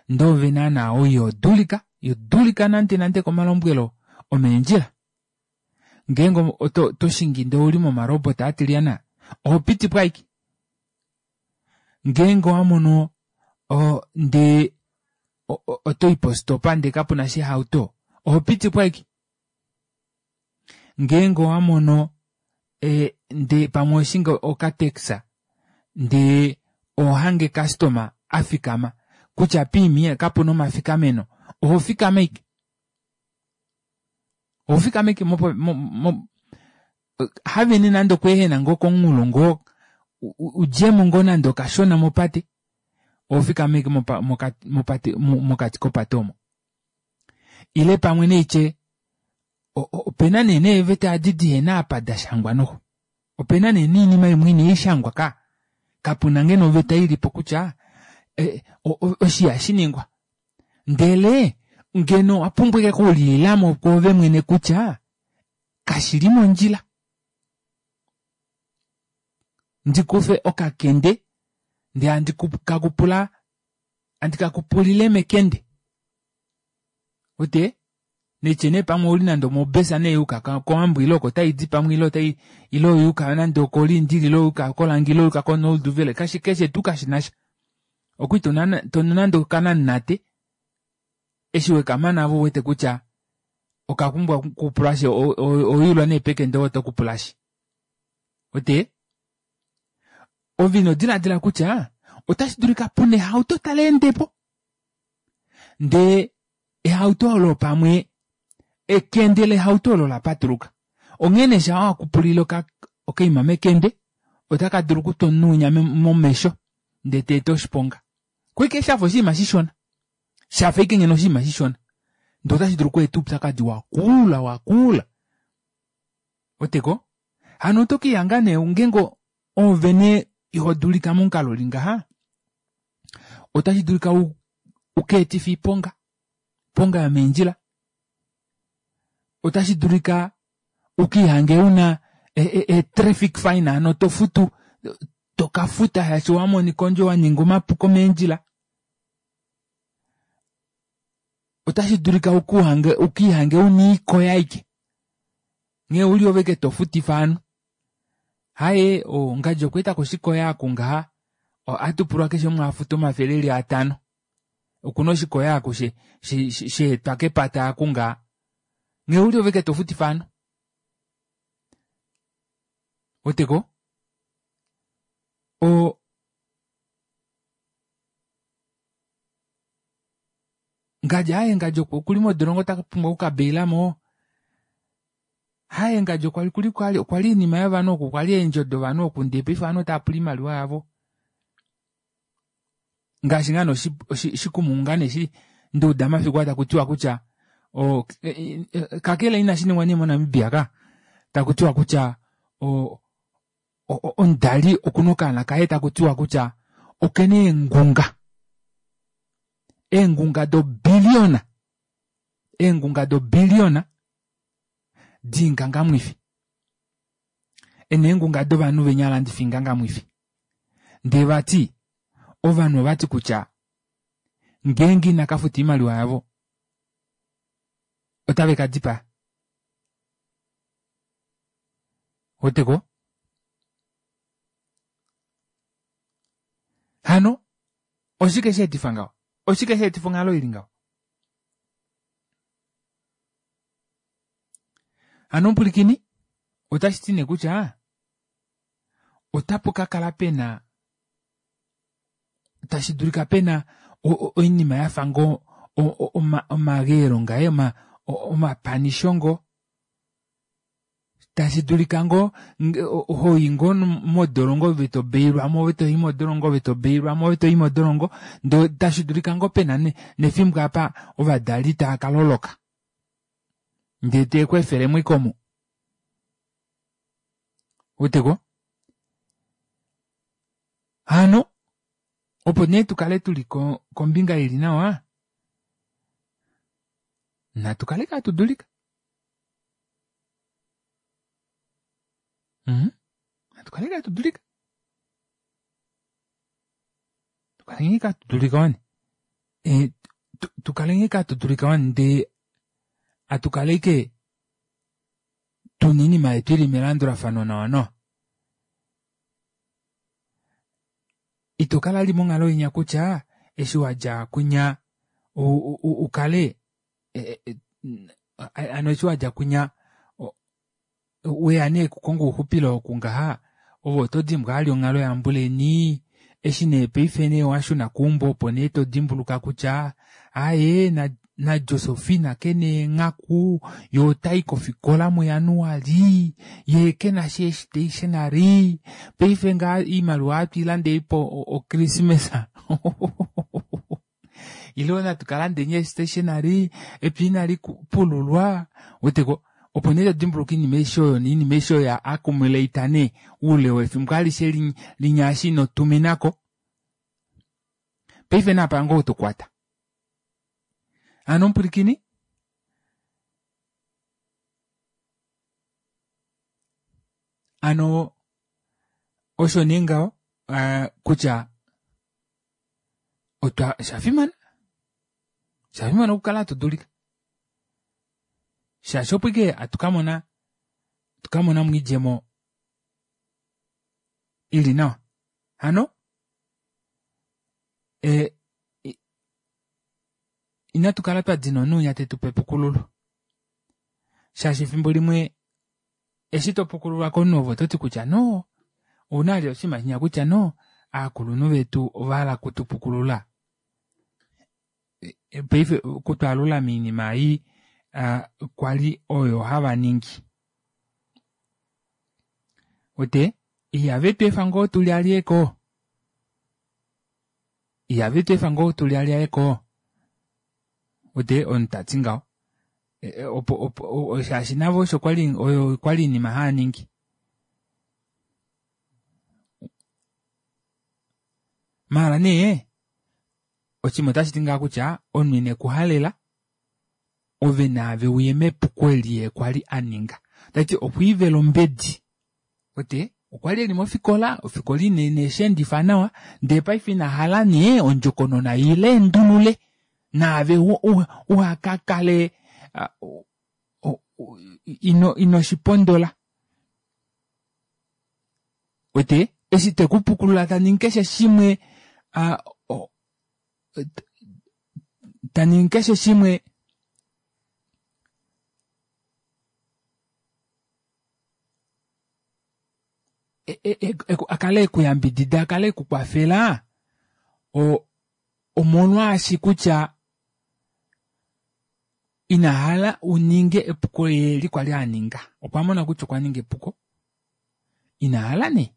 ndee ove naana oyo dulika, yodulika nande nande komalombwelo omeendjila. Ngeenge oto, to shingi ndee ouli momarobot atiliana, oho piti po aike. Ngeenge owamono ndee oto i postopa ndee kapuna shihauto, oho piti po aike. Ngeenge owamono e, ndee pamwe oshingi okatexa ndee ohange customer afikama kutya piimie kapuna omafikameno, oho fikama aike. Oho fikama aike mo, mo, mo, havene nande okweehena ngoo komunghulo ngoo udjemo ngoo nande okashona mopate, oho fikama aike mopate, mokati kopate omo. Ile pamwe neitye opena nee neeveta adi dihena apa da shangwa noho. Opena nee niinima imwe inaishangwa ka. Kapuna ngeno oveta ilipo kutya oshi hashiningwa. Ndele ngeno owapumbwa ike okuliilamo kwoove mwene kutya kashili mondjila. Ndikufe okakende ndee andikakupula, andikakupulile mekende. Ote netye nee pamwe ouli nande omobesa nee yuka kOwambo ile oko taidi pamwe ile otai ile oyuka nande okoLindili ile oyuka kOlangi ile oyuka koNolduvele, kashi keshe tuu kashinasha. Okwi tonu nande okananate eshi wekamana avo uwete kutya okapumbwa okupulashe oyuulwa nee pekende oto kupulashe. Ote ove ino diladila kutya otashi dulika puna ehauto tali endepo ndee ehauto olo pamwe ekende lehauto olo la patuluka. Onghene sha wakupulile okaima mekende otaka dulu okutwa omunhu momesho ndee teeta oshiponga. Kweke shafa oshinima shishona, shafa ike ngeno oshinima shishona, ndee otashi dulu okweeta oupyakadi wakula wakula. Oteko hano oto kihanga nee ngeenge ove nee ihodulika momukalo uli ngaha, otashi dulika ukeetife iponga, iponga yomeendjila. Otashi dulika ukihange una e traffic fine, ano tofutu tokafuta shaashi wamonika ondjo waninga omapuko meendjila. Otashi dulika ukuhange ukihange una iikoya aike nghee uli ove ke tofutifa ovanhu. Haye ongadji okweetako oshikoya aku ngaha, ohatupulwa keshe umwe afuta omafele eli atano. Okuna oshikoya aku sheetwa kepata aku ngaha, nghee uli ove ke tofutifa ovanhu. Oteko o ngadji aye ngadji okuli modolongo tapumbwa okukabeilamo. Haye ngadji okwali kuli kwali okwali iinima yovanhu oku kwali eendjo dovanhu oku ndee paife ovanhu otava pula oimaliwa yavo. Ngaashi ngoo nee oshikumunga nee shi nduuda mafiku aa takutiwa kutya o kakele inashi ningwa nee moNamibia ka, takutiwa kutya o omudali okuna okaana kaye takutiwa kutya okena eengunga, eengunga dobiliona, eengunga dobiliona diingangamwifi. Ena eengunga dovanhu venya alandifa oingangamwifi. Ndee vati ovanhu ovati kutya ngeenge ina kafuta oimaliwa yavo otave kadipaa. Ouweteko? Hano oshike sheetifa ngaho? Oshike sheetifa onghalo ili ngaho? Hano omupulikini otashi ti nee kutya otapu kakala pena tashi dulika pena oinima yafa ngoo omageelo ngaye omapanisho ngoo tashi dulika ngoo hoyi ngoo modolongo ove tobailwamo ove toyi modolongo ove tobailwamo ove toyi modolongo ndee tashi dulika ngoo pena nefimbo apa ovadali taakaloloka ndee teekweefelemo ashike omo. Ouweteko? Hano opo nee tukale tuli kombinga ili nawa natu kale hatu dulika. Mm natu kale hatu dulika. Tukaleni hatu dulika wani. E tukaleni hatu dulika wani ndee atukale ashike tuna oinima yetu ili melandulafano nawa nawa. Ito kala vali monghalo inya kutya eshi wadja kwinya ukale hano eshi wadja kwinya weya nee okukonga ouxupilo oku ngaha ove oto dimbwa vali onghalo yambuleni eshi nee paife nee washuna keumbo opo nee todimbuluka kutya aaye naJosefina kena eenghaku yee otayi kofikola muJanuali yee kenasha eestationary paife ngaha oimaliwa ohatu ochristmas ile natu kalandeni eestationary epya inali pululwa ouweteko opo nee todimbuluka oinima aishe oyo noinima aishe oyo ya accumulate nee oule wefimbo alishe linya eshi inotuminako paife naapa ngoo tokwata. Hano omupwilikini hano osho nee ngaho kutya otwa oshafimana oshafimana okukala hatu dulika shaashi opo ashike hatu kamona hatu kamonamo oidjemo ili nawa. Hano ee ina tukala twadina omunhu winya tetupe epukululo shaashi efimbo limwe eshi topukululwa komunhu ove ototi kutya noo ouna vali oshinima shinya kutya noo aakulunhu vetu ovahala okutupukulula paife okutwaalula moinima ei kwali oyo hava ningi. Uwete ihave tweefa ngoo tulyalyeko ihave tweefa ngoo tulyalyeko uwete omunhu tati ngaho opo opo shaashi navo osho kwali oyo kwali oinima haaningi. Maala nee oshinima otashiti ngaha kutya omunhu inekuhalela ove naave uye mepuko eli yee kwali aninga. Tashiti okwiivela ombedi. Uwete okwali eli mofikola ofikola ineshendifa nawa ndee paife inahala nee ondjokonona ileendulule naave uhakakale ino inoshipondola. Uwete eshi tekupukulula taningi keshe shimwe taningi keshe shimwe akale ekuyambidida akale ekukwafela omolwaashi kutya inahala uninge epuko eli kwali aninga. Okwamona kutya okwaninga epuko inahala nee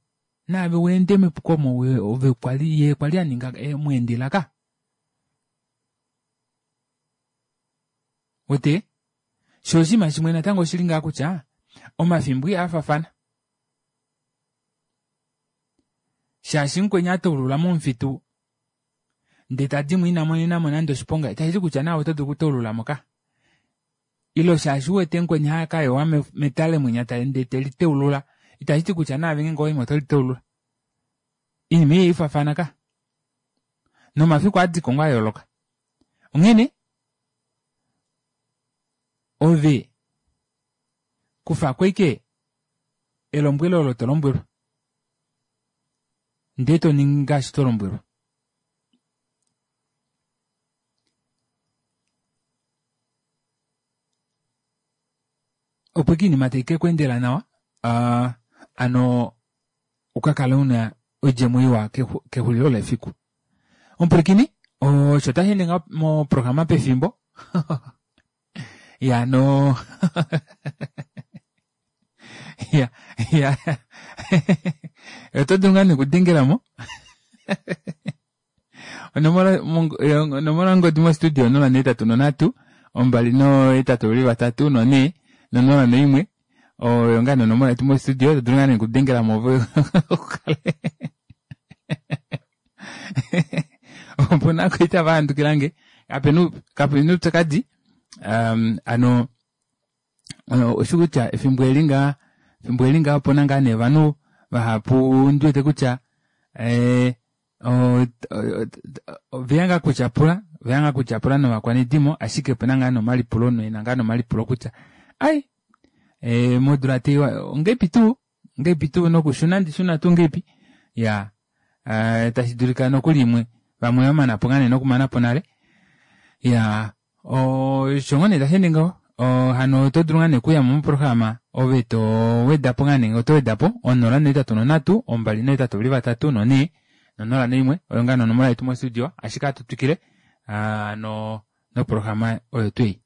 naave weende mepuko omo ove kwali yee kwali aninga mweendela ka. Uwete shoo oshinima shimwe natango oshili ngaha kutya omafimbo ihaafafana shaashi mukweni ataulula momufitu ndee tadimo ina monenamo nande oshiponga itashiti kutya naave oto dulu okutaululamo ka. Ile shaashi uwete mukweni hakayowa metale mwinya ndee teliteulula Itashi ti kutya naave ngeenge owaimo oto liteulula. Oinima ei ihaifafana ka. Nomafiku ohaadiko ngoo ayooloka. Onghene ove kufako ashike elombwelo olo tolombwelwa ndee toningi ngaashi tolombwelwa. Opo ike oinima taikekweendela nawa uh, ano ukakale una oidjemo iwa kexulilo lefiku. Omupwilikini osho tasheende ngaho moprograma pefimbo ya no ya ya oto dulu ngaa nee okudengelamo onomola onomola yongodi mo studio onola nohetatu nonhatu ombali nohetatu ovali vatatu nonhee nonola noimwe oyo ngaa nee onomola yetu mo studio oto dulu ngaa nee okudengelamo ukale opuna koita vahandukilange kapena kapena oupyakadi um, ano oshi kutya efimbo eli ngaa efimbo eli ngaa opuna ngaa nee ovanhu vahapu ndiwete kutya eh, oveya ngaa kutyapula oveya ngaa kutyapula novakwanedimo ashike opena ngaa nomalipulo noena ngaa nomalipulo kutya ai e, modula teiwa ongeipi tuu ongeipi tuu nokushuna ndishuna tuu ngeipi ya uh, tashi dulika nokuli imwe vamwe vamanapo ngaa nee nokumanapo nale ya osho ngoo nee tasheende ngaho hano oto dulu ngaa nee okuyamo moprograma ove to wedapo ngaa nee oto wedapo onola nohetatu nonhatu ombali nohetatu ovali vatatu nonhee nonola noimwe oyo ngaa nonomola yetu mostudio ashike ohatu twikile no noprograma oyo tuu ei.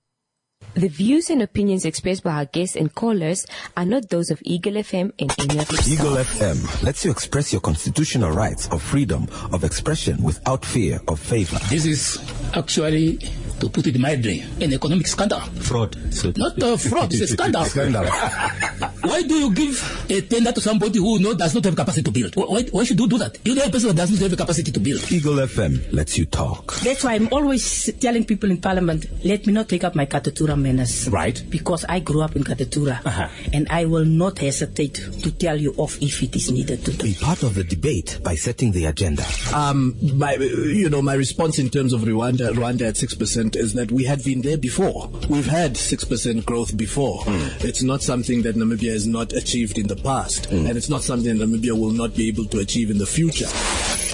The views and opinions expressed by our guests and callers are not those of Eagle F M and any of its Eagle staff. F M lets you express your constitutional rights of freedom of expression without fear of favor. This is actually, to put it mildly, an economic scandal. Fraud. So Not a fraud, it's a scandal. Scandal. Why do you give a tender to somebody who no, does not have capacity to build? Why, why should you do that? You know a person that does not have the capacity to build. Eagle F M lets you talk. That's why I'm always telling people in Parliament, let me not take up my Katutura manners. Right. Because I grew up in Katutura. Uh-huh. And I will not hesitate to tell you off if it is needed to do. Be part of the debate by setting the agenda. Um, my, you know, my response in terms of Rwanda, Rwanda at six percent is that we had been there before. We've had six percent growth before. Mm. It's not something that Namibia has not achieved in the past. Mm. And it's not something that Namibia will not be able to achieve in the future.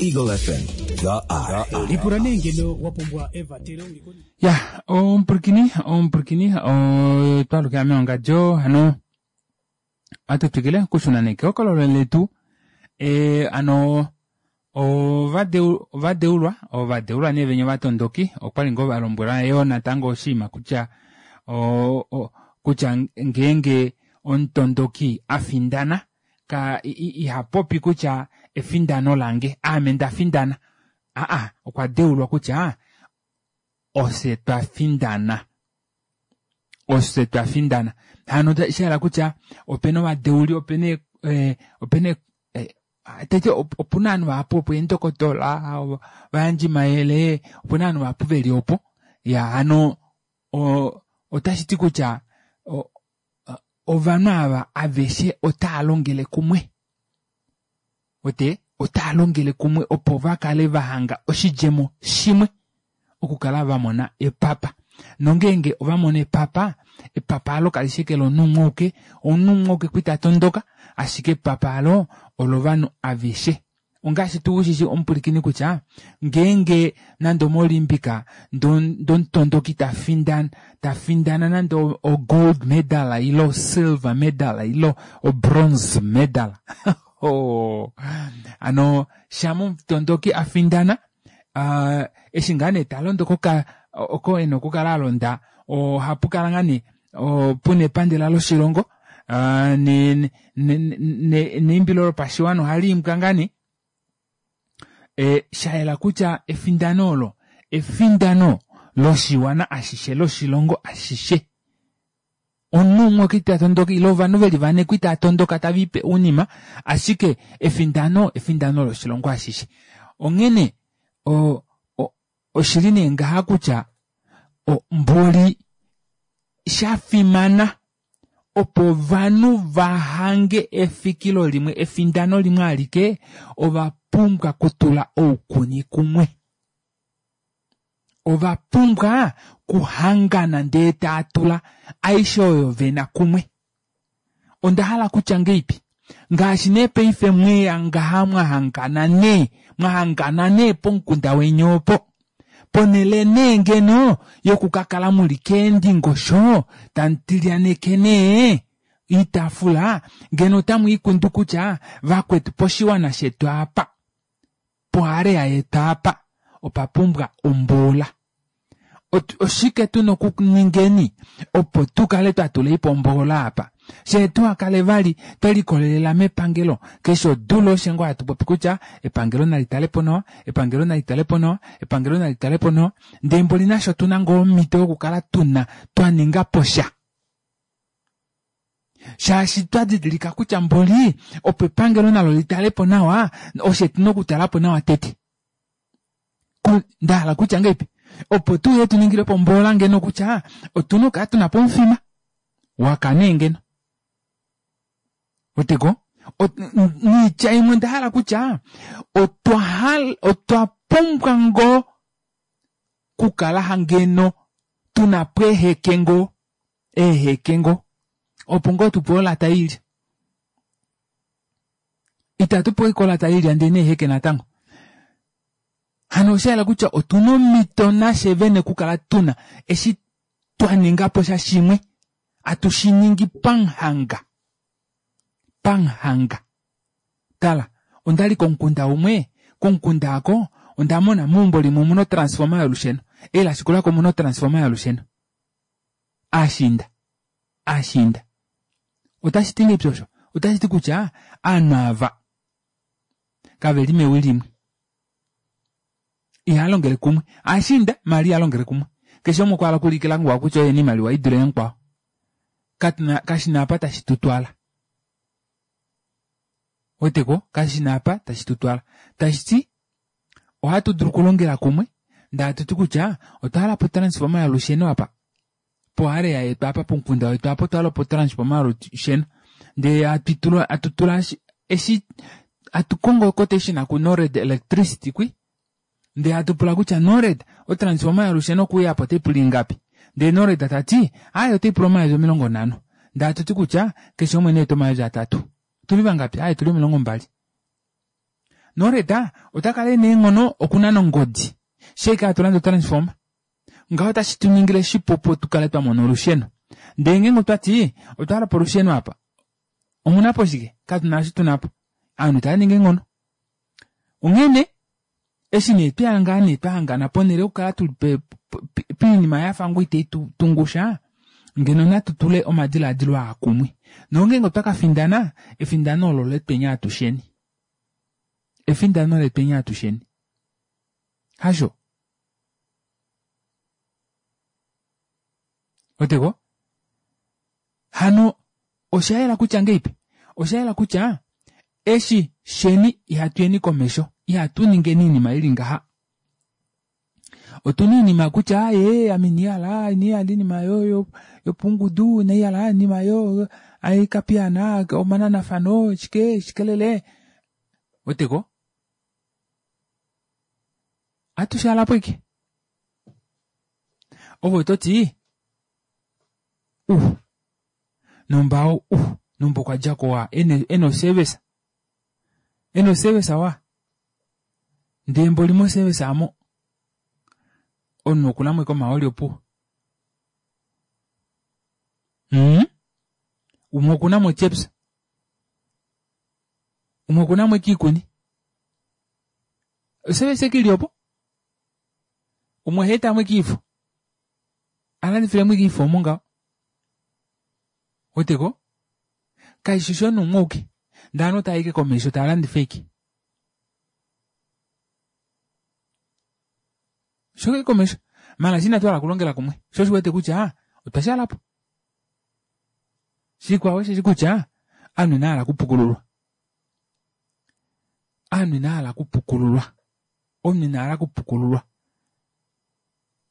Eagle F M, the eye. Ya, ompurikini, ompurikini, otwalukila meongadjo, hano, atu twikile okushuna nekehokololo letu, e, ano, ovadeulwa, ovadeulwa nee venya ovatondoki, okwali ngoo valombwelwa yoo natango oshinima kutya, o, o, kutya ngeenge omutondoki afindana, ka ihapopi kutya efindano lange, aame ndafindana. Aa, okwa deulwa kutya ose twafindana. Ose twafindana. Hano shahala kutya opena ovadeuli, opena eh, opena eh, tete opuna ovanhu vahapu opo eendokotola, ovayandji mayele, opuna ovanhu vahapu veli opo. Ya, hano otashi ti kutya ovanhu ava aveshe otava longele kumwe. Ote otava longele kumwe opo vakale vahanga oshidjemo shimwe okukala vamona epapa. Nongeenge ovamona epapa, epapa alo kali shi eke lomunhu umwe auke, omunhu umwe auke kwita tondoka, ashike epapa alo olovanhu aveshe. Ongaashi tuu ushishi omupulikini kutya ngeenge nande omoolimpika ndomutondoki tafindana, tafindana nande o gold medal ile o silver medal ile o bronze medal. Oh. Ano shama omutondoki afindana, uh, eshi ngaa nee talondo koka oko ena okukala alonda, ohapu kala ngaa nee puna epandela loshilongo, uh, ne, ne, ne, neimbilo lopashiwana ohali imbwa ngaa nee. E, shayela kutya efindano olo efindano loshiwana ashishe, loshilongo ashishe. Omunhu umwe okita tondoka ile ovanhu veli vane kwita tondoka tavipe unima, ashike efindano efindano loshilongo ashishe. Onghene o, o, oshili nee ngaha kutya mboli shafimana Opo ovanhu vahange efikilo limwe, efindano limwe alike, ova pumbwa kutula oukuni kumwe. Ova pumbwa kuhangana ndee taa tula aishe oyo vena kumwe. Onda hala kutya ngeipi? Ngaashi nee paife mweya ngaha mwahangana nee, mwahangana nee pomukunda weni opo. Ponele nee ngeno yokukakala muli keendingosho tamu tilyaneke nee oitaafula ngeno otamu ikundu kutya vakwetu poshiwana shetu apa, poarea yetu apa opa pumbwa omboola. Oshike tuna okuningeni opo tukale twatula po omboola apa? Fyee tuhakale vali twelikolelela mepangelo keshe odula osho ngoo hatu popi kutya epangelo nali talepo nawa, epangelo nali talepo nawa, epangelo nali talepo nawa, ndee mboli nasho otuna ngoo omhito yokukala tuna twaninga posha. Shaashi twadidilika kutya mboli opo epangelo nalo litalepo nawa oshe tuna okutalapo nawa tete. Ndahala kutya ngeipi? Opo tuye tuningilepo omboola ngeno kutya otuna okukala tuna po omufima waka nee ngeno. Weteko? Niitya imwe onda hala kutya otwa hala otwa pumbwa ngoo kukala ngeno tuna po eeheke ngoo, eeheke ngoo opo ngoo tupewe olata yoilya. Itatu pewa ashike olata yoilya ndee neeheke natango. Hano oshayela kutya otuna omhito nafye vene okukala tuna eshi twaningapo sha shimwe atushiningi pamuhanga. Pamuhanga. Tala, ondali komukunda umwe, komukunda aako onda mona meumbo limwe omuna otransformer yolusheno, eli lashikulako omuna otransformer yolusheno. Aashiinda. Aashiinda. Otashiti ngeipi osho? Otashiti kutya ovanhu ava kaveli mewi limwe. Ihalongele kumwe. Aashiinda maala ihalongele kumwe. Keshe umwe okwa hala okuulikila mukwao kutya oye ena oimaliwa idule yamukwao. Katuna kashina apa tashi tutwala. Weteko? Kashina apa tashi tutwala. Tashiti ohatu dulu okulongela kumwe ndee hatuti kutya otwa hala po transformer yolusheno apa. Poarea yetu apa pomukunda wetu apa otwa hala po transformer yolusheno. Ndee hatutula hatutula eshi hatu kongo quotation ku Nored Electricity kwi ndee hatupula kutya Nored otransformer yolusheno okuuya apa otaipula ingapi? Ndee Nored tati aaye otaipula omayovi omilongo nhano. Ndee hatuti kutya keshe umwe neete omayovi atatu. Otuli vangapi? Aaye tuli omilongo mbali. Nored otakala ena eenghono okunana ongodi shee hatu lande otransformer. Ngaho otashi tuningile shipu opo tukale twamona olusheno. Ndee ngeenge otwati otwa hala po olusheno apa, omunapo shike? Katuna eshi tunapo. Ovanhu itava eenghono. Onghene eshi nee tweya ngaa nee twahangana ponele yokukala tuli poinima yafa ngoo ita itutungusha, ngeno natu tule omadilaadilo aa kumwe. Nongeenge otwa kafindana, efindano olo letweni atusheni. Efindano letweni atusheni. Hasho? Weteko? Hano oshayela kutya ngeipi? Oshayela kutya eshi sheni ihatuyeni komesho, ihatu ningeni oinima ili ngaha. Otuna oinima kutya aaye ame inihala, inihala oinima yopungudu, inaihala oinima yo aikapiyaana omananafano shike shikelele. Weteko? Atushaalapo ashike. Ove ototi uh nomba uh nomba okwadjako wa ena oservice. Ena oservice wa. Ndee mboli moservice aamo omunhu okunamo ashike omahooli opuwo. Mm? Umwe okunamo chips. Umwe okunamo ashike oikuni. Oservice ashike ili opo. Umwe ohaetamo ashike oifo. Alandifilemo ashike oifo omo ngaho. Weteko? Kaishi shomunhu umwe auke. Ndee ovanhu otava i ashike komesho tava landifa ashike. Osho komesho. Maala eshi inatu hala okulongela kumwe. Sho osho uwete kutya otwa shaalapo. Shikwao osheshi kutya ovanhu inava hala okupukululwa. Ovanhu inava hala okupukululwa. Omunhu ina hala okupukululwa.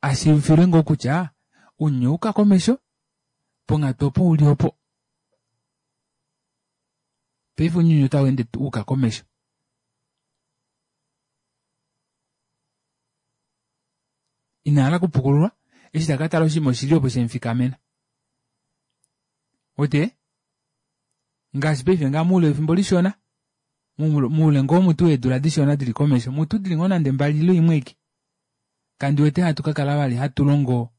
Ashiivifilwe ngoo kutya ounyuni owauka komesho, ponghatu opo uli opo. Paife ounyuni otau ende uka komesho. Ina hala okupukululwa eshi taka tala oshinima oshili opo shemufikamena. Ote ngaashi paife ngaa muule wefimbo lishona muule ngoo mutu weedula dishona dili komesho mutu dili ngoo nande mbali ile imwe aike kandi wete hatu kakala vali hatu longo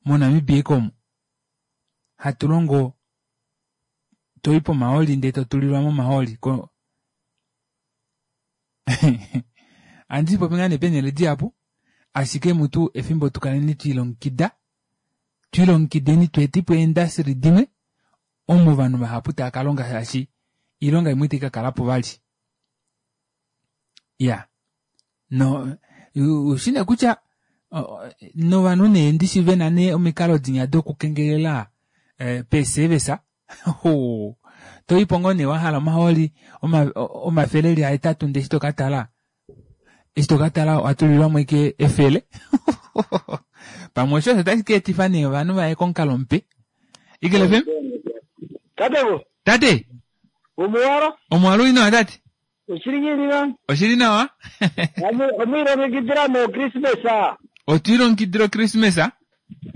moNamibia eke omu hatu longo toi pomahooli ndee totulilwamo omahooli ko andi popi ngaa nee peenele dihapu ashike mutu efimbo tukaleni twiilongekida twiilongekideni tweetepo eendasiri dimwe omo ovanhu vahapu tava kalonga shaashi oilonga imwe itai kakalapo vali. Iya no ushine kutya novanhu nee ndishi vena nee omikalo dinya dokukengelela peeservice toipo ngoo nee wahala omahooli omafele eli ahetatu ndee eshi tokatala eshi tokatala owatulilwamo ashike efele pamwe osho osho tashi kaetifa nee ovanhu vaye komukalo mupe. Eagle F M? Tate Tate! Omuwalo? Omuwalo uli nawa tate? Oshili ngiini na? Oshili nawa. Omwiilongekidila no Christmas? Otwiilongekidila Christmas?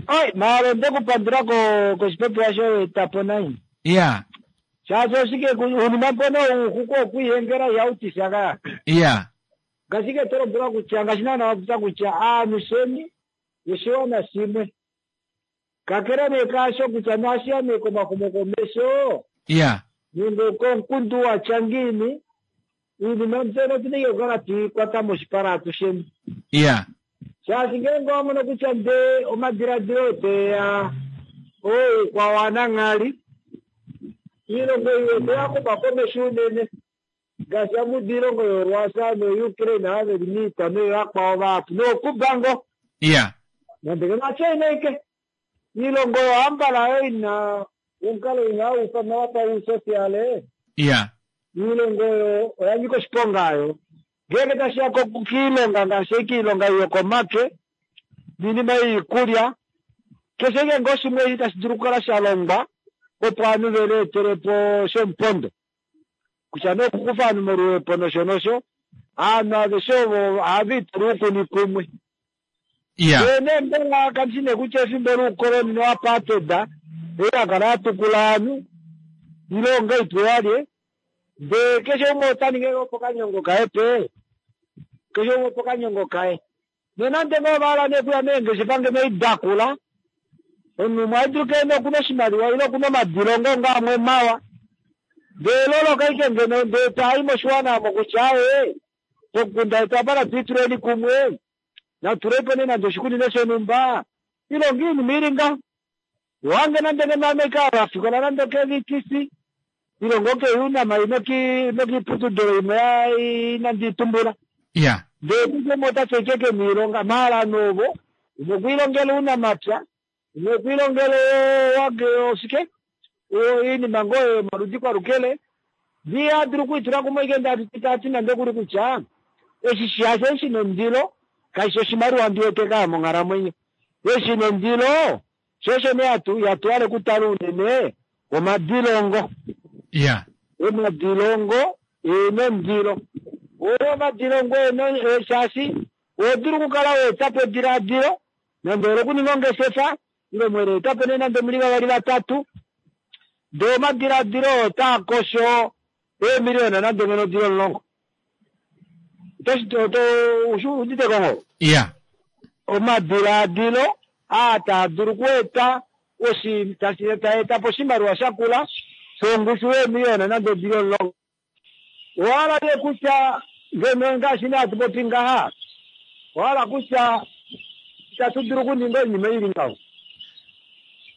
Oi, maalo nde kupandula ko koshipopiwa shoye etapo nai. Iya. Shaashi oshike unima mpono ouxuku okwiihengela ihautisha ka. Iya. Ngashike to lombwelwa kutya ngaashi naana wa popya kutya aanusheni oshiwana shimwe. Kakele nee kaasho kutya nashiya nee komaxumokomesho Iya. nenge komukundu wa tya ngiini, iinima mbyono otu na ike okukala twi kwata moshipala atusheni. Iya. Shaashi ngeenge owa mono kutya ndee omadiladilo oteya oukwa wananghali, iilongo ei oteya xuma komesho unene ngaashi amudu iilongo yoRussia noUkraine ava veli miita noyovakwao vahapu nooCuba ngo. Iya. Nande ke naChina ike. Iilongo oyo ambala oyo ina omukalo ina ufanwa wapa usosiale. Iya. Iilongo oyo oya nyika oshiponga ayo. Ngeenge tashiya kiilonga ngaashi kiilonga yokomake niinima yoikulya keshe ike ngoo shimwe eshi tashi dulu okukala sha longwa opo ovanhu veleetelepo shomupondo kutya nee okukufa ovanhu moluhepo nosho nosho ovanhu aveshe ovo ohava itula oukuni kumwe. Iya. Ndee nee mbela kandishi nee kutya efimbo loukoloni noapartheid ei yakala yatukula ovanhu ile ongaitwe yalye ndee keshe umwe ota ningi opo kanyongo kaye pe keshe umwe opo kanyongo kaye nonande ngoo ovahala nee okuya meengeshefa ngeno idakula omunhu umwe adulu keene okuna oshimaliwa ile okuna omadilongo nga amwe mawa ndee loloka ike ngeno ndee taai moshiwana omo kutya ee pomukunda wetu apa natwiituleni kumwe natuleipo nee nande oshikunino shonhumba ilonga iinima ili ngaho wange nande ngeno ame kavafikola nande ke V T C ilongo keunama nokiiputudilo imwe inandi itumbula. Iya. Ndee kutya umwe ota tya ike keniilonga maala novo umwe okwiilongela ounamapya umwe okwiilongela wage oshike iinima ngoo yomaludi kwalukele ndii adulu okwiitula kumwe ike ndati nande okuli kutya eshi shasho shina ondilo kaishi oshimaliwa ndiwete kaa monghalamwenyo eshi nondilo shosho nee yatwale kutala unene omadilongo. Iya. Omadilongo enondilo oyo omadilongo eno shaashi odulu okukala weetapo ediladilo nande olokuninga ongeshefa ile mwele etapo nee nande muli vavali vatatu ndee omadiladilo otaa kosho eemiliona nande ngeno dili omulongo. Udite kongo? Iya. Omadiladilo aa taa dulu okueta taetapo oshimaliwa shakula shongushu yeemiliona nande dili omulongo. Owahala nee kutya ngeno ngaashi nee hatu popi ngaha owahala kutya itatu dulu okuninga oinima ili ngaho.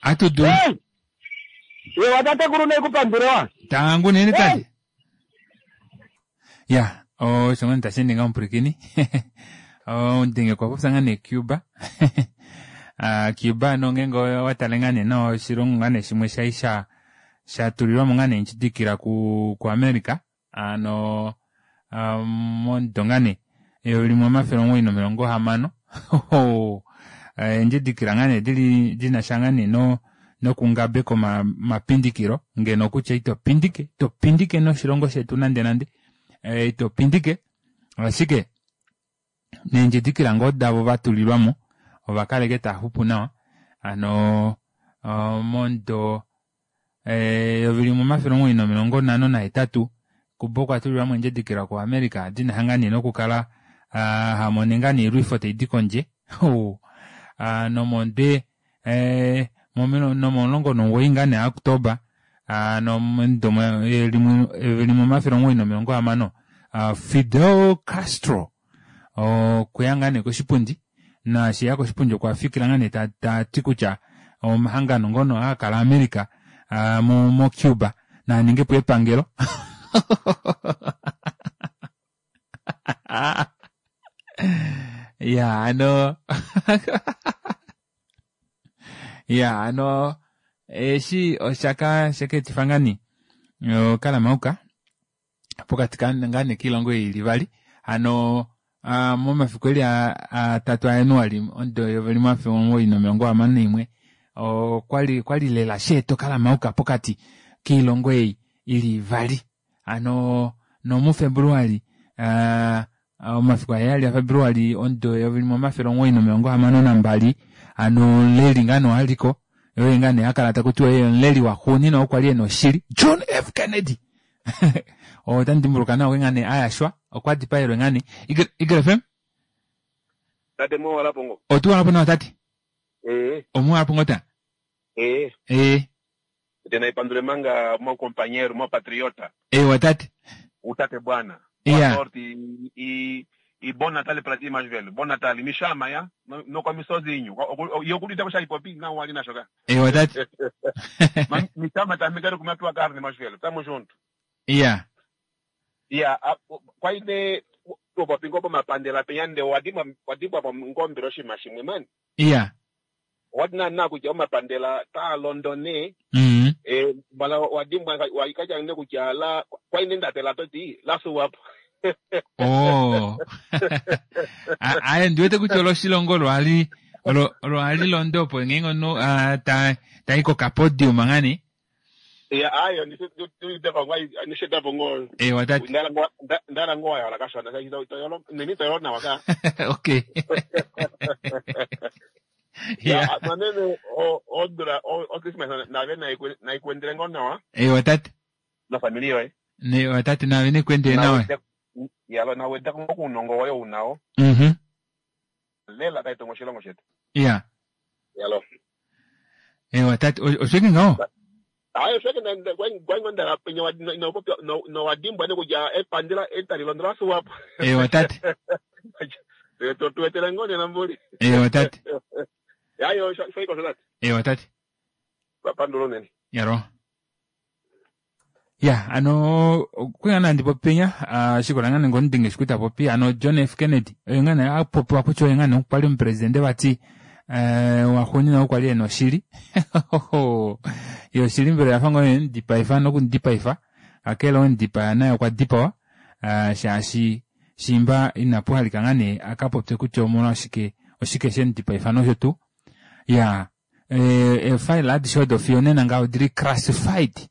Atu dulu. Ewa tatekulu neikupandula. Tangu nene tate. Ya, osho ngoo tashi ninga omupwilikini. Ondenge kwa popya ngaa nee Cuba. Cuba nongeenge watale ngaa nee nawa oshilongo ngaa nee shimwe shai sha shatulilwamo ngaa nee ndjidikila ku ku America ano momudo ngaa nee eyovi limwe omafele omuwoi nomilongo hamano. Eendjidikila ngaa nee dili dinasha ngaa nee no Nokungabeka omapindikilo ngeno kutya ito pindike ito pindike noshilongo shetu nande nande e, ito pindike ashike neendjidikila ngoo davo vatulilwamo ovakaleke taaxupu nawa hano momudo eyovi limwe omafele omuwoi nomilongo nhano nahetatu Cuba okwa tulilwamo endjidikila ku America dina hangane nokukala hamone ngaa noilwifo taidi kondje nomonde nomomulongo nomuwoi ngaa nee October nomudo eyovi limwe omafele omuwoi nomilongo hamano Fidel Castro okweya ngaa nee koshipundi naashi eya koshipundi okwa fikila ngaa nee tati kutya omahangano ngono haakala America mo Cuba naaningepo epangelo. Ya ano ya ano eshi oshaka shaka ngaa nee okalamauka pokati ngaa nee kiilongo ili vali hano momafiku eli atatu aJanuali omudo eyovi limwe omafele omuwoi nomilongo hamano naimwe okwali okwali lela sheeta okalamauka pokati kiilongo ei ili ivali hano nomuFebruali omafiku aheyali aFebruali omudo eyovi limwe omafele omuwoi nomilongo hamano nambali hano omuleli ngaa nee aliko oye ngaa nee akala takutiwa oye omuleli waxuuninwa oo kwali ena oshili John F Kennedy ota ndimbuluka nawa ngaa nee ayashwa okwa dipaelwe ngaa nee Eagle F M Tate muwalapo ngo. Otuwalapo nawa tate. Eh. Omuwalapo ngo ta? Eh. Eh. Tena ipandule manga mo companheiro, mo patriota. Eh, watate. Utate bwana. Yeah. Boa sorte e, e, e bom Natal para ti mais velho. Bom Natal. Me chama, ya? Não, não come sozinho. E eu curto deixar hipopi, não ali na jogar. Eh, watate. Mas me chama também, quero comer a tua carne, mais velho. Tamo junto. Yeah. Yeah, kwaine topapingo pa mapandela penyande wadimwa wadimwa pa ngombero shimashimwe mani. Yeah. Wadina na kutya omapandela ta Londone. Mm. Eh bala wadimwa waikaja ne kutya la kwaine ndatela toti la suwap. Oh. Aye ndiwete kutya oloshilongo lwali lwali londopo ngengono ta taiko ka podium ngani. Ya ayo nishe ngo. Eh watati. Ndala ngo ndala ngo ya la kasha na toyolo nini toyolo na waka. Okay. Yeah, manene o odra o o Christmas na ve na na ikwendele ngo nawa. Eh watati. Na familia eh. Ne watati na vene kwendele nawe. Ya lo na weda ngo kunongo wayo unao. Mhm. Lela taito ngo shilongo shetu. Yeah. Ya lo. Eh watati oshike ngao? Ayo sheke na ngwangondela penye no no no wadimbwa ne kutya epandela etalilondela suwap. Eh watati. To tuwetele ngone na mbuli. Eh watati. Ayo shoiko sholat. Eh watati. Pandulo nene. Yaro. Ya ano kwingana ndipo penya shikola ngane ngondinge shikuta popi ano John F Kennedy ngane apopo kutya ngane okwali omupresidente vati eh waxuuninwa okwali ena oshili. Yo oshili mbela yafa ngo ndipaifa nokundipaifa kakele ondipaya naye okwa dipawa shaashi shimba inapu halika ngaa nee akapopye kutya omolwashike oshike shendipaifa nosho tuu. Ya efile adishe odo fiyo nena ngaho odili classified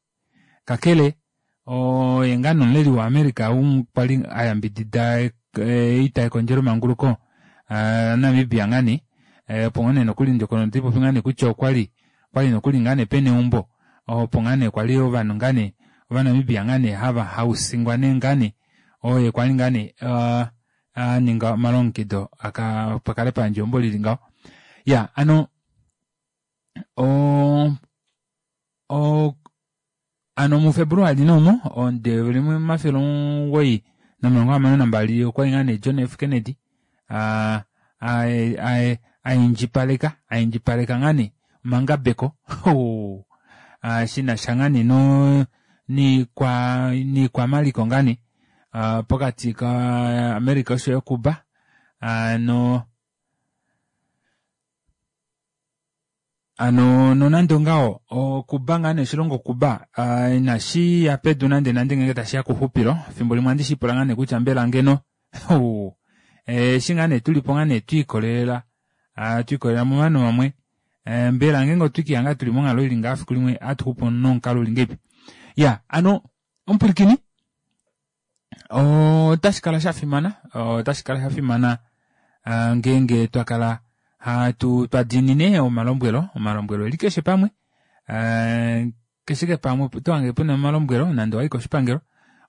kakele oye ngaa nomuleli wa America kwali ayambidida oita yekondjelo manguluko Namibia ngaa nee opo ngaa nee nokuli ndjokono ndipopi ngaa nee kutya okwali kwali nokuli ngaa nee pena eumbo opo ngaa nee kwali ovanhu ngaa nee ovanamibia ngaa nee hava hausingwa nee ngaa nee oye kwali ngaa nee aninga omalongekido aka pakale pandje eumbo lili ngaho. Ya ano o o ano muFebruali nomo onde limwe omafele omugoyi nomilongo hamano nambali okwali ngaa nee John F Kennedy a a aindjipaleka aindjipaleka ngaa nee omangabeko shinasha ngaa nee no niikwa niikwamaliko ngaa nee pokati ka America oshoyo Cuba ano ano nonande ongaho Cuba ngaa nee oshilongo Cuba inashi ya pedu nande nande ngenge tashiya kuxupilo fimbo limwe andi shipula ngaa nee kutya mbela ngeno eshi ngaa nee tulipo ngaa nee twiikolelela twiikolelela movanhu vamwe E, mbela ngeenge otwikihanga tuli monghalo ili ngaa fiku limwe hatuxupu nomukalo uli ngeipi. Ya ano omupwilikini otashi kala shafimana otashi kala shafimana ngeenge twakala hatu twadiinine omalombwelo omalombwelo eli keshe pamwe keshe pamwe otohange pena omalombwelo nande owayi koshipangelo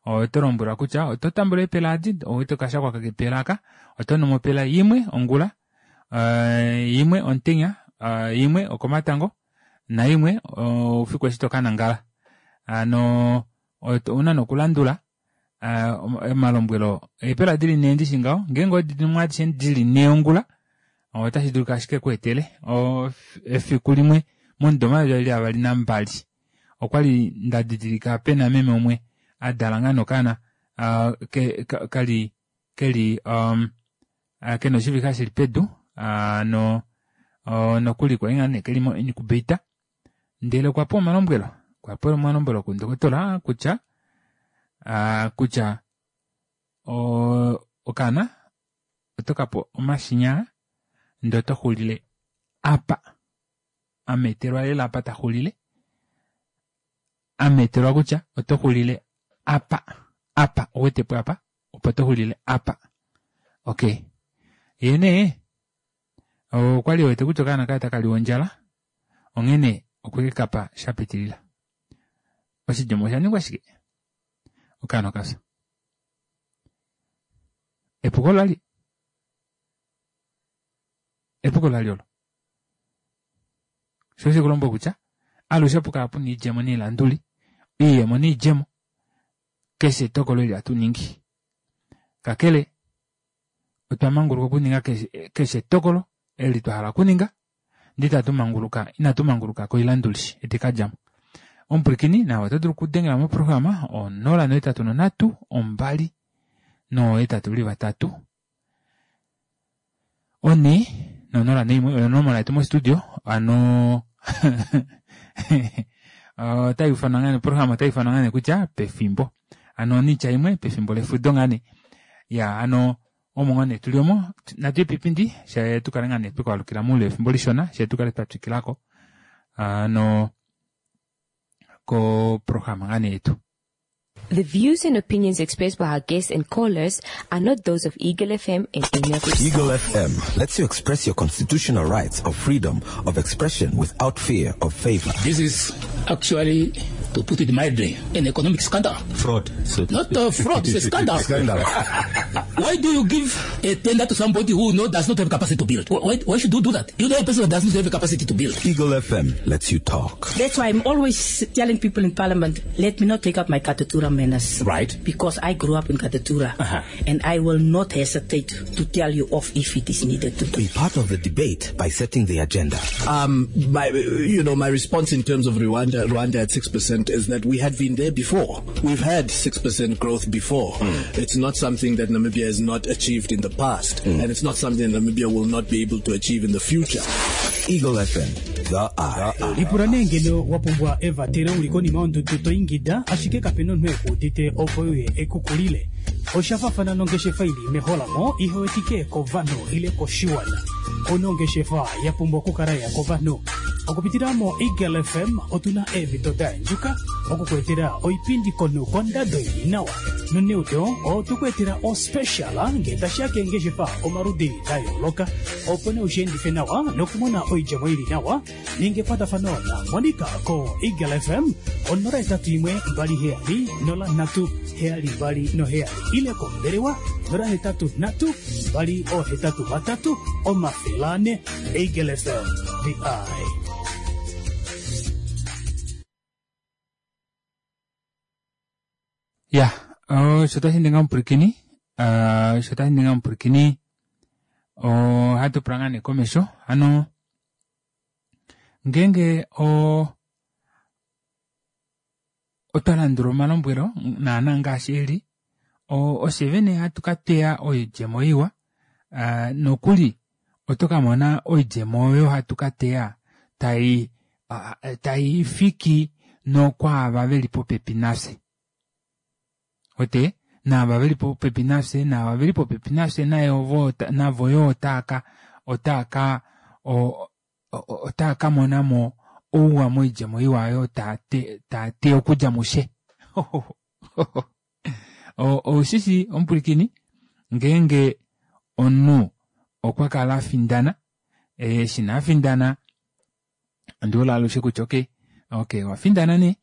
oto lombwelwa kutya oto tambula eepela edi owete okashakwa kepela aka oto numo opela imwe ongula imwe omutenya imwe okomatango naimwe oufiku eshi tokanangala. Hano ouna nee okulandula omalombwelo eepela dili nhee ndishi ngaho ngeenge owedinumo adishe dili nhee ongula otashi dulika ashike kweetele efiku limwe momudo omayovi eli avali nambali okwali ndadidilika pena meme umwe adala ngaa nee okaana kali keli kena oshivixa shili pedu hano nokuli kwali ngaa nee keli mo incubator ndele okwapewa omalombwelo okwapewa omalombwelo kundokotola kutya kutya okaana otokape omashinya ndee otoxulile apa ametelwa lela apa taxulile ametelwa kutya otoxulile apa apa ouwetepo apa opo toxulile apa. Okey yee nee okwali ewete kutya okaana kaye otakaliwa ondjala onghene okwekekapa shapitilila. Oshidjemo oshaningwa shike? Okaana okafya. Epuko olali epuko lali olo sho shekulombwela kutya alushe opukala puna oidjemo noilanduli oiyemo noidjemo keshe etokolo eli hatu ningi. Kakele otwa manguluka okuninga keshe etokolo eli twahala okuninga ndee itatu manguluka inatu manguluka koilanduli edi kadjamo. Omupwilikini naave oto dulu okudengela moprograma onola nohetatu nonhatu ombali noohetatu veli vatatu onhe nonola naimwe oyo onomola yetu mostudio hano otayuufanwa ngaa nee oprograma otayuufanwa ngaa nee kutya pefimbo hano noitya imwe pefimbo lefudo ngaa nee iya hano omo ngoo nee tuli omo natuye piipindi fyee tukale ngaa nee twekwaalukila moule wefimbo lishona fyee tukale twatwikilako hano koprograma ngaa nee yetu. The views and opinions expressed by our guests and callers are not those of Eagle F M and any of its Eagle F M lets you express your constitutional rights of freedom of expression without fear of favor. This is actually, to put it mildly, an economic scandal. Fraud. So Not a fraud, it's a scandal. Scandal. Why do you give a tender to somebody who no, does not have capacity to build? Why, why should you do that? You know a person that does not have capacity to build. Eagle F M lets you talk. That's why I'm always telling people in Parliament, let me not take up my Katutura manners. Right. Because I grew up in Katutura. Uh-huh. And I will not hesitate to tell you off if it is needed to. Be part of the debate by setting the agenda. Um, my, you know, my response in terms of Rwanda, Rwanda at six percent is that we had been there before. We've had six percent growth before. Mm. It's not something that Namibia has not achieved in the past, mm. and it's not something that Namibia will not be able to achieve in the future. Eagle F M, the eye. Lipula nee ngeno wa pumbwa evatelo uli konima yondudu to ingida, ashike kapena omunhu ekuudite opo uye ekukulile. Oshafafana nongeshefa ili meholamo ihewetike kovanhu ile koshiwana. Onongeshefa ya pumbwa okukala ya kovanhu. Okupitila mo Eagle F M otuna eemhito da endjuka okukuetela oipindi kono kondado ili nawa. Noneudo otukuetela ospecial nge tashiya keengeshefa omaludi da yooloka. Opo nee ushiendife nawa nokumona oidjemo ili nawa ninge ekwatafano na Monica ko Eagle F M onola etatu imwe mbali heyali nola nhatu heyali mbali noheyali ile kombelewa nola hetatu nhatu mbali ohetatu vatatu omafele ane. Eagle F M, the eye. Ya, sho tashi ninga omupwilikini, sho tashi ninga omupwilikini, ohatu pula ngaa nee komesho, hano ngeenge o otwa landula omalombwelo naana ngaashi eli, ofye vene hatu ka teya oidjemo iwa, nokuli oto ka mona oidjemo oyo hatu ka teya tai tai fiki nokwaava veli popepi nafye. Ote naava veli popepi nafye, naava veli popepi nafye naye ovo navo yo otaaka otaaka otaa ka mona mo ouwa moidjemo iwa oyo taa te taa te okudja mushe. Oushishi omupwilikini ngeenge omunhu okwa kala afindana, eshi nee afindana ondiwete alushe kutya okey okey owafindana nee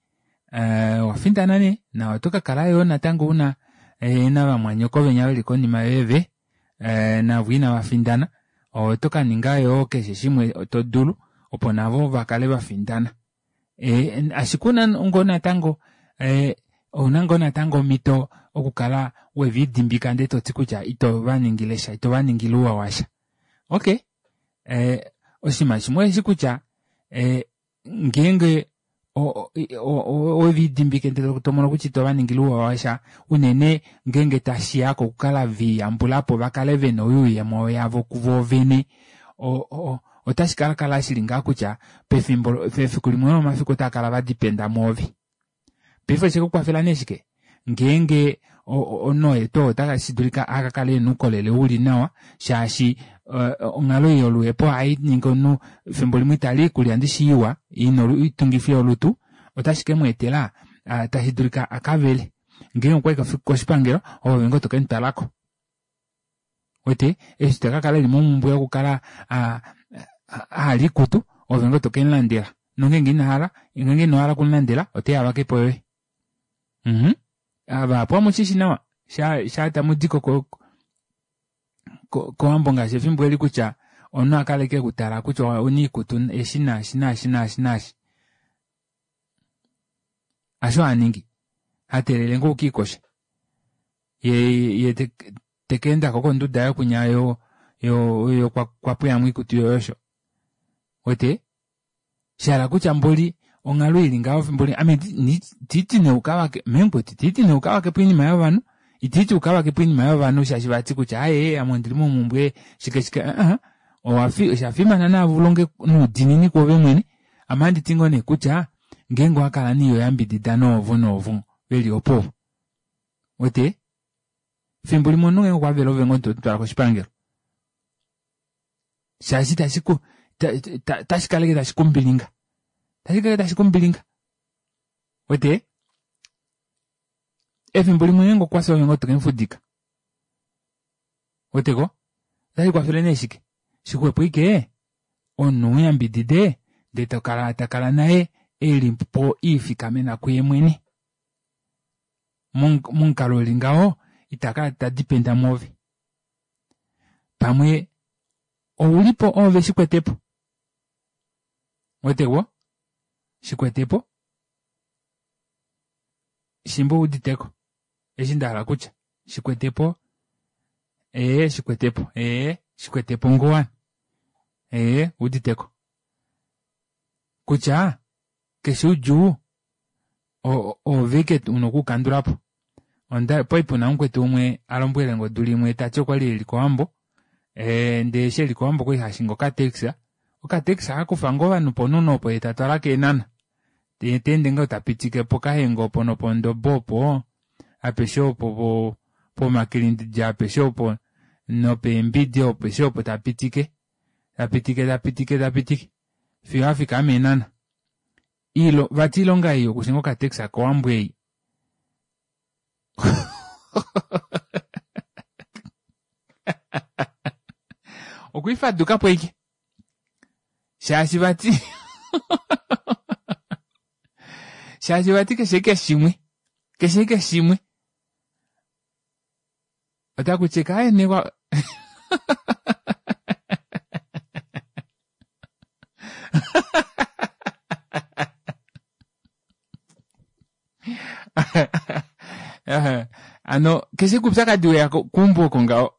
owafindana nee nawa oto kakala yoo natango una navamwanyoko venya veli konima yoye ve navo inavafindana oto kaninga yoo keshe shimwe todulu opo navo vakale vafindana. Ashike ouna ngoo natango ouna ngoo natango omito okukala welidimbika ndee toti kutya ito vaningilesha ito vaningile ouwa washa. Okey oshinima shimwe osheshi kutya ngeenge owelidimbike ndee tomono kutya ito vaningile ouwa washa unene ngeenge tashiya kokukala veliyambulapo vakale vena oyuuyemo yavo kuvoo vene otashi kakala shili ngaha kutya pefimbo efiku limwe lomomafiku otaakala vadependa mwoove. Paife oshekukwafela nee shike ngeenge omunhu oye tuu oo otashidulika akakale ena oukolele uli nawa shaashi onghalo ei yoluhepo ohainingi omunhu efimbo limwe itali oikulya ndishi iwa ina oitungifi yolutu otashi kemweetela tashidulika akavele ngeenge okwayi koshipangelo oove ngoo tokemutwalako. Uwete eshi takakala eli momumbwe yokukala ahala oikutu oove ngoo tokemulandela nongenge inahala ngeenge inohala okumulandela oteya avakepo yoye. Mhh vahapu omushishi nawa shaa tamudi kowambo ngaashi efimbo eli kutya omunhu ohakala ashike ekutala kutya ouna oikutu eshi naashi naashi naashi naashi. Hasho haningi hateelele ngoo ukiikoshe yee tekeendako konduda yaye kunya yo yo okwapweyamo oikutu yoye osho. Uwete shahala kutya mboli onghalo ili ngaho mboli ame itiiti nee ukavake mee mukwetu itiiti nee ukavakepo oinima yovanhu itiiti ukavakepo oinima yovanhu shaashi vati kutya aaye ame ondili momumbwe shike shike aa oshafimana naave ulonge noudiinini kwoove mwene ame ohanditi ngoo nee kutya ngeenge owakala nee ihoyambidida noovo noovo veli opo uwete efimbo limwe omunhu ngeenge okwavele oove ngoo tomutwala koshipangelo shaashi itashi otashikala ashike tashi kumbilinga otashikala ashike tashi kumbilinga uwete efimbo limwe ngeenge okwafi oove ngoo tokemufudika uweteko otashikwafele nee shike shixwepo ashike omunhu umuyambidide ndee tokala takala naye elipo elifikamena kuye mwene momukalo uli ngaho itakala tadependa mwoove pamwe oulipo oove shikwetepo ouweteko shikwetepo shiimba owuuditeko eshi ndahala okutya shikwetepo ee shikwetepo ee shikwetepo ngoo ovanhu ee owuuditeko kutya keshe oudjuu oove ashike una okuukandulapo. Okwali puna mukwetu umwe alombwelenge odula imwe tati okwali eli kowambo ndee eshi eli kowambo okwali hashingi okataxi okataxi ohakufa ngoo ovanhu poNuno opo yee tatwala kEenhana yee teende ngoo tapitike poKahenge opo nopondobe opo apeshe opo pomakilindidja apeshe opo nopeembidi apeshe opo tapitike tapitike tapitike tapitike fiyo afika mEenhana. Vati oilonga ei yokushinga okataxi kowambo ei okwiifadukapo ashike shaashi vati shaashi vati keshe ashike shimwe keshe ashike shimwe otakuti ashike aaye nee hano keshe ashike oupyakadi weya keumbo oko ngaho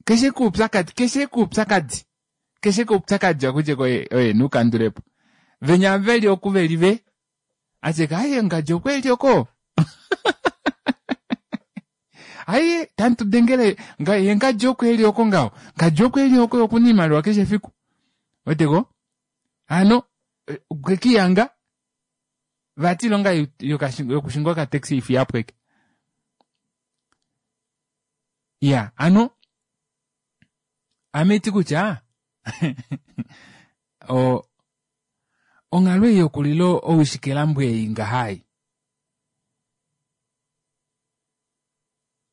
keshe ashike oupyakadi keshe ashike oupyakadi keshe ashike oupyakadi ohakuti ashike oye neukandulepo venya veli oku veli ve ashike aaye ngadi okweli oko aaye tamutudengele yee ngadi oko eli oko ngaho ngadi oko eli oko okuna oimaliwa keshe efiku ouweteko hano okwekihanga vati oilonga yokushinga okataxi haifiyapo ashike iyaa hano ame haiti kutya o Onghalo ei yokulila owishikelambo ei ngaha ei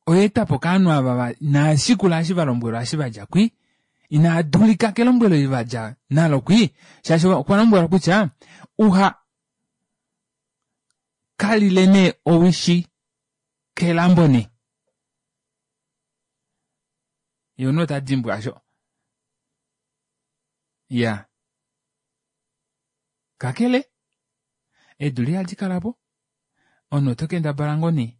oyaetwapo kovanhu ava inavashikula eshi valombwelwa eshi vadja kwii, inaadulika kelombwelo eli vadja nalo kwii, shaashi okwa lombwelwa kutya uha kalile nee owishi kelambo nee. Yee omunhu otadimbwa aasho. Iyaa. Kakele, eedula ihadi kalapo, omunhu oto kendabala ngoo nee,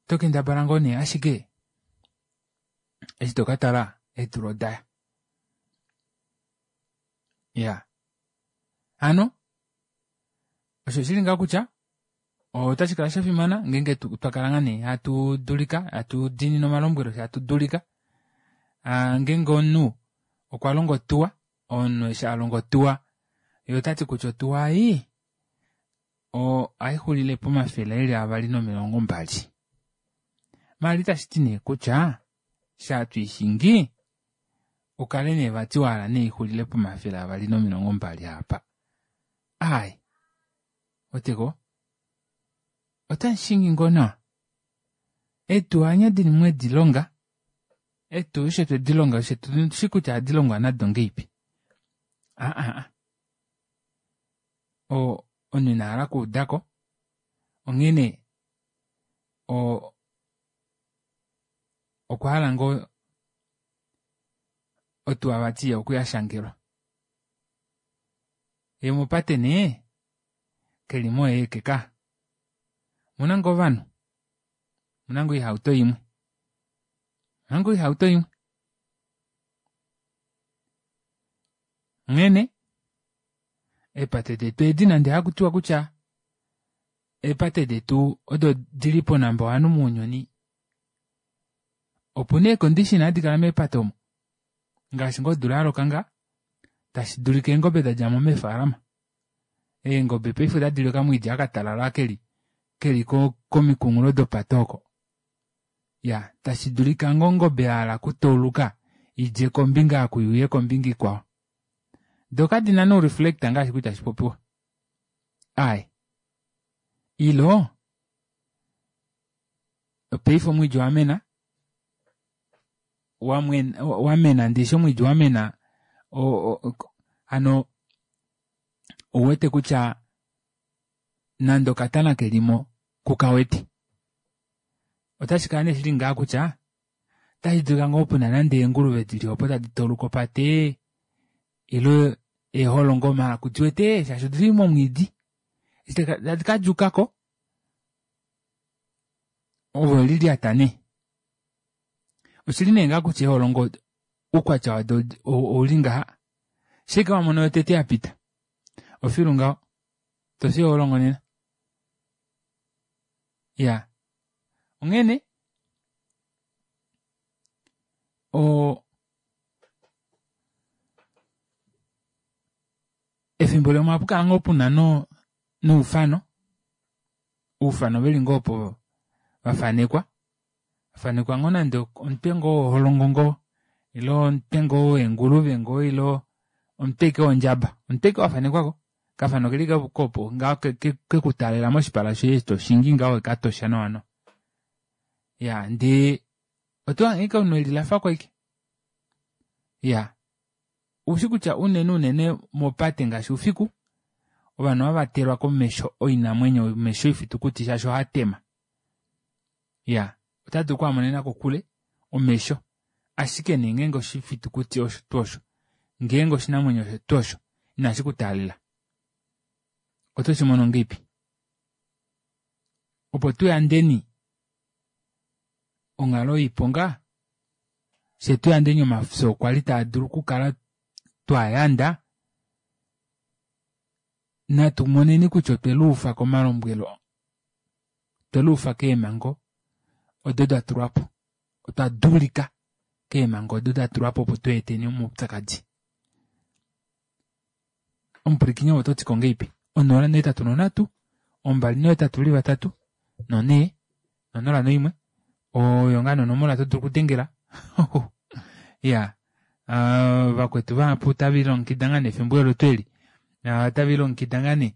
oto kendabala ngoo nee ashike eshi tokatala eedula odaya. Iyaa hano osho shili ngaho kutya otashikala shafimana ngeenge twakala ngoo nee hatu dulika hatu diinine omalombwelo fyee hatu dulika aa ngeenge omunhu okwalongo otuwa omunhu eshi alonga otuwa yee otati kutya otuwa ei ohaixulile pomafele eli avali nomilongo mbali maala itashiti nee kutya eshi hatwiishingi ukale nee vati wahala nee ixulile pomafele avali nomilongo mbali aapa aaye ouweteko otamushingi ngoo nawa eetuwa hanye dili mwedilonga eetuwa eshi twedilonga fyee otushi kutya ohadi longwa nado ngahelipi aahaa oo omunhu inahala okuudako onghene oo okwahala ngoo otuwa vati okuya ashangelwa yee mopate nee kelimo oye aeke kaa omuna ngoo ovanhu omuna ngoo oihauto imwe omuna ngoo oihauto imwe onghene eepate detu edi nande hakutiwa kutya eepate detu odo dili po number one mounyuni opuna eecondition hadi kala meepate omo ngaashi ngoo odula yaloka ngaha tashidulika eengobe dadjamo meefalama eengobe paife otadili okamwiidi aka katalala keli keli komikunghulo dopate oko iyaa tashidulika ngoo ongobe yahala okutauluka idje kombinga oku iuye kombinga ikwao doo kadina nee oureflector ngaashi kwali tashipopiwa aaye ilo paife omwiidi owamena wamena ndee eshi omwiidi wamena hano ouwete kutya nande okatana kelimo kukawete otashikala nee shili ngaha kutya otashidulika ngoo pena nande eenguluve dili opo tadi tauluka opate ile eeholongo maala kudiwete shaashi odili momwiidi eshi tadi kadjuukako ove owelilyata nee oshili nee ngaha kutya eeholongo oukwatya wado ouli ngaha shaike wamono yotete yapita ofilu ngaho tofi eeholongo nena iyaa onghene oo efimbo limwe ohapukala ngoo puna no noufano oufano veli ngoo opo vafanekwa vafanekwa ngoo nande omutwe ngoo woholongo ngoo ile omutwe ngoo weenguluve ngoo ile omutwe ashike wondjaba omutwe ashike wafanekwako okafano okeli ashike opo ngaho kekutaalela moshipala shoye eshi toshingi ngaho wekatosha nawa nawa iyaa ndee otohange ashike omunhu elilafako ashike iyaa oushi kutya unene unene mopate ngaashi oufiku ovanhu ohavatelwa komesho oinamwenyo omesho oifitukuti shaashi ohaatema iyaa otadulu okuhamonena kokule omesho ashike nee ngeenge oshifitukuti osho tuu osho ngeenge oshinamwenyo osho tuu osho inashikutaalela oto shimono ngahelipi opo tuyandeni onghalo yoiponga fyee tuyandeni omafyo kwali taadulu okukala twayanda natu moneni kutya otweluufa komalombwelo otweluufa keemhango odo datulwapo otwa dulika keemhango odo datulwapo opo tuhaeteni omaupyakadi omupwilikini ove ototiko ngahelipi onola nohetatu nonhatu ombali nohetatu veli vatatu nonhee nonola noimwe oyo ngoo nee onomola todulu okudengela iyaa vakwetu vahapu otavelilongekida ngoo nee efimbo olo twoo eli Otave longekida ngaa nee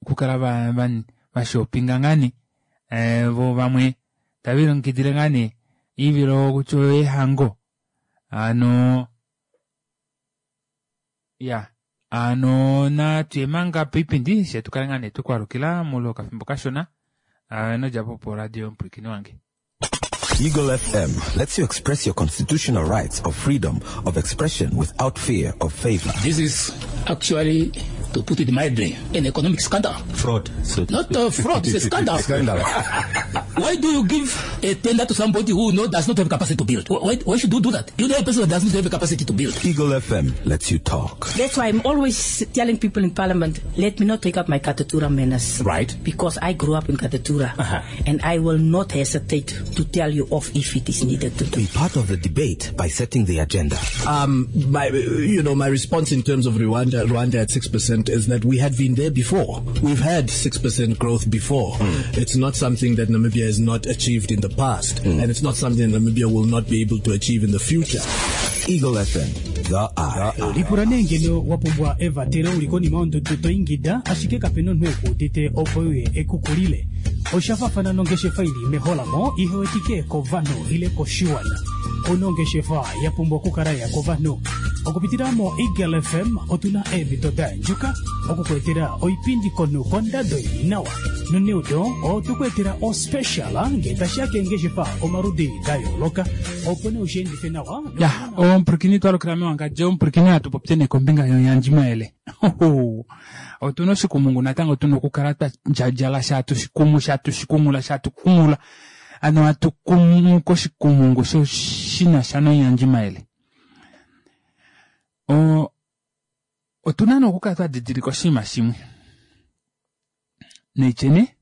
okukala va va vashopinga ngaa nee voo vamwe tave lilongekidile ngaa nee oivilo kutya oyeehango hano iya hano natuye manga poipindi fyee tukale ngaa nee twekwaalukila moule wokafimbo kashona inodjapo poradio yomupwilikini wange. Eagle F M lets you express your constitutional rights of freedom of expression without fear of favor. This is actually, to put it mildly, an economic scandal. Fraud. So Not a fraud, it's a scandal. Scandal. Why do you give a tender to somebody who no, does not have capacity to build? Why, why should you do that? You know a person that does not have capacity to build. Eagle F M lets you talk. That's why I'm always telling people in Parliament, let me not take up my Katutura manners. Right. Because I grew up in Katutura. Uh-huh. And I will not hesitate to tell you off if it is needed to do. Be part of the debate by setting the agenda. Um, my, you know, my response in terms of Rwanda, Rwanda at six percent is that we had been there before. We've had six percent growth before. Mm. It's not something that Namibia has not achieved in the past, mm. and it's not something Namibia will not be able to achieve in the future. Eagle F M, the eye. Lipula nee ngeno wapumbwa evatelo uli konima yondudu to ingida ashike kapena omunhu ekuudite opo uye ekukulile. Oshafafana nongeshefa ili meholamo ihewetike kovanhu ile koshiwana. Onongeshefa ya pumbwa okukala ya kovanhu. Okupitila mo Eagle F M otuna eemhito da andjuka okukuetela oipindi komunhu kondado ili nawa. Noneudo otukuetela ospecial ngee tashiya keengeshefa omaludi da yooloka opo nee ushiendife nawa. Ya, omupwilikini twalukila mewangadjo, omupwilikini hatu popye nee kombinga yoyandjimayele. Otuna oshikumungu natango tuna okukala twa ndjadjala shatu shikumu shatu shikumula shatu kumula. Ano hatu kumu koshikumungu sho shina sha noyandjimayele. O, otuna nee okukala twa didilika oshinima shimwe. Neityene,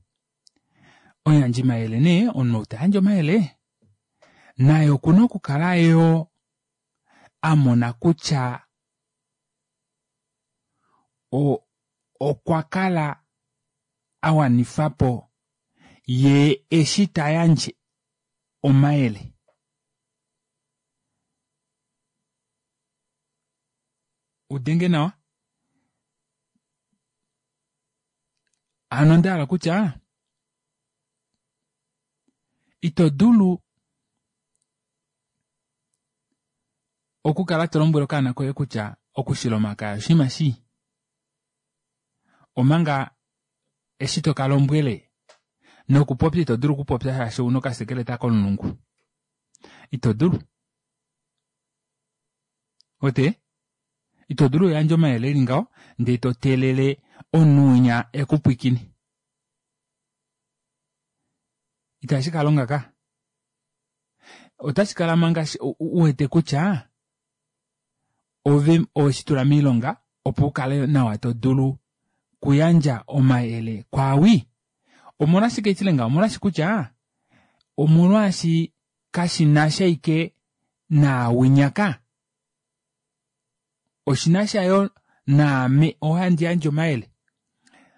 oyandjimayele nee, omunhu ou ta yandje omayele, naye okuna okukala yo a mona kutya o, okwa kala a wanifa po ye eshi ta yandje omayele. Udenge nawa. Ano onda hala kutya ito dulu okukala to lombwele okaana koye kutya okushila omakaya oshinima shii, omanga eshi to ka lombwele nokupopya ito dulu okupopya shaashi ouna okasekeleta komulungu. Ito dulu. Ote? Ito dulu oyandje omayele eli ngaho, ndee to teelele omunhu ekupwikine. Itashi ka longa ka. Otashi kala manga u wete kutya ove oweshi tula miilonga opo u kale nawa to dulu kuyandja omayele kwaawi. Omolwashike itilenga? Omolwashi kutya omolwashi kashi na sha ike naawinyaka. Oshina sha yo naame ohandi yandje omayele.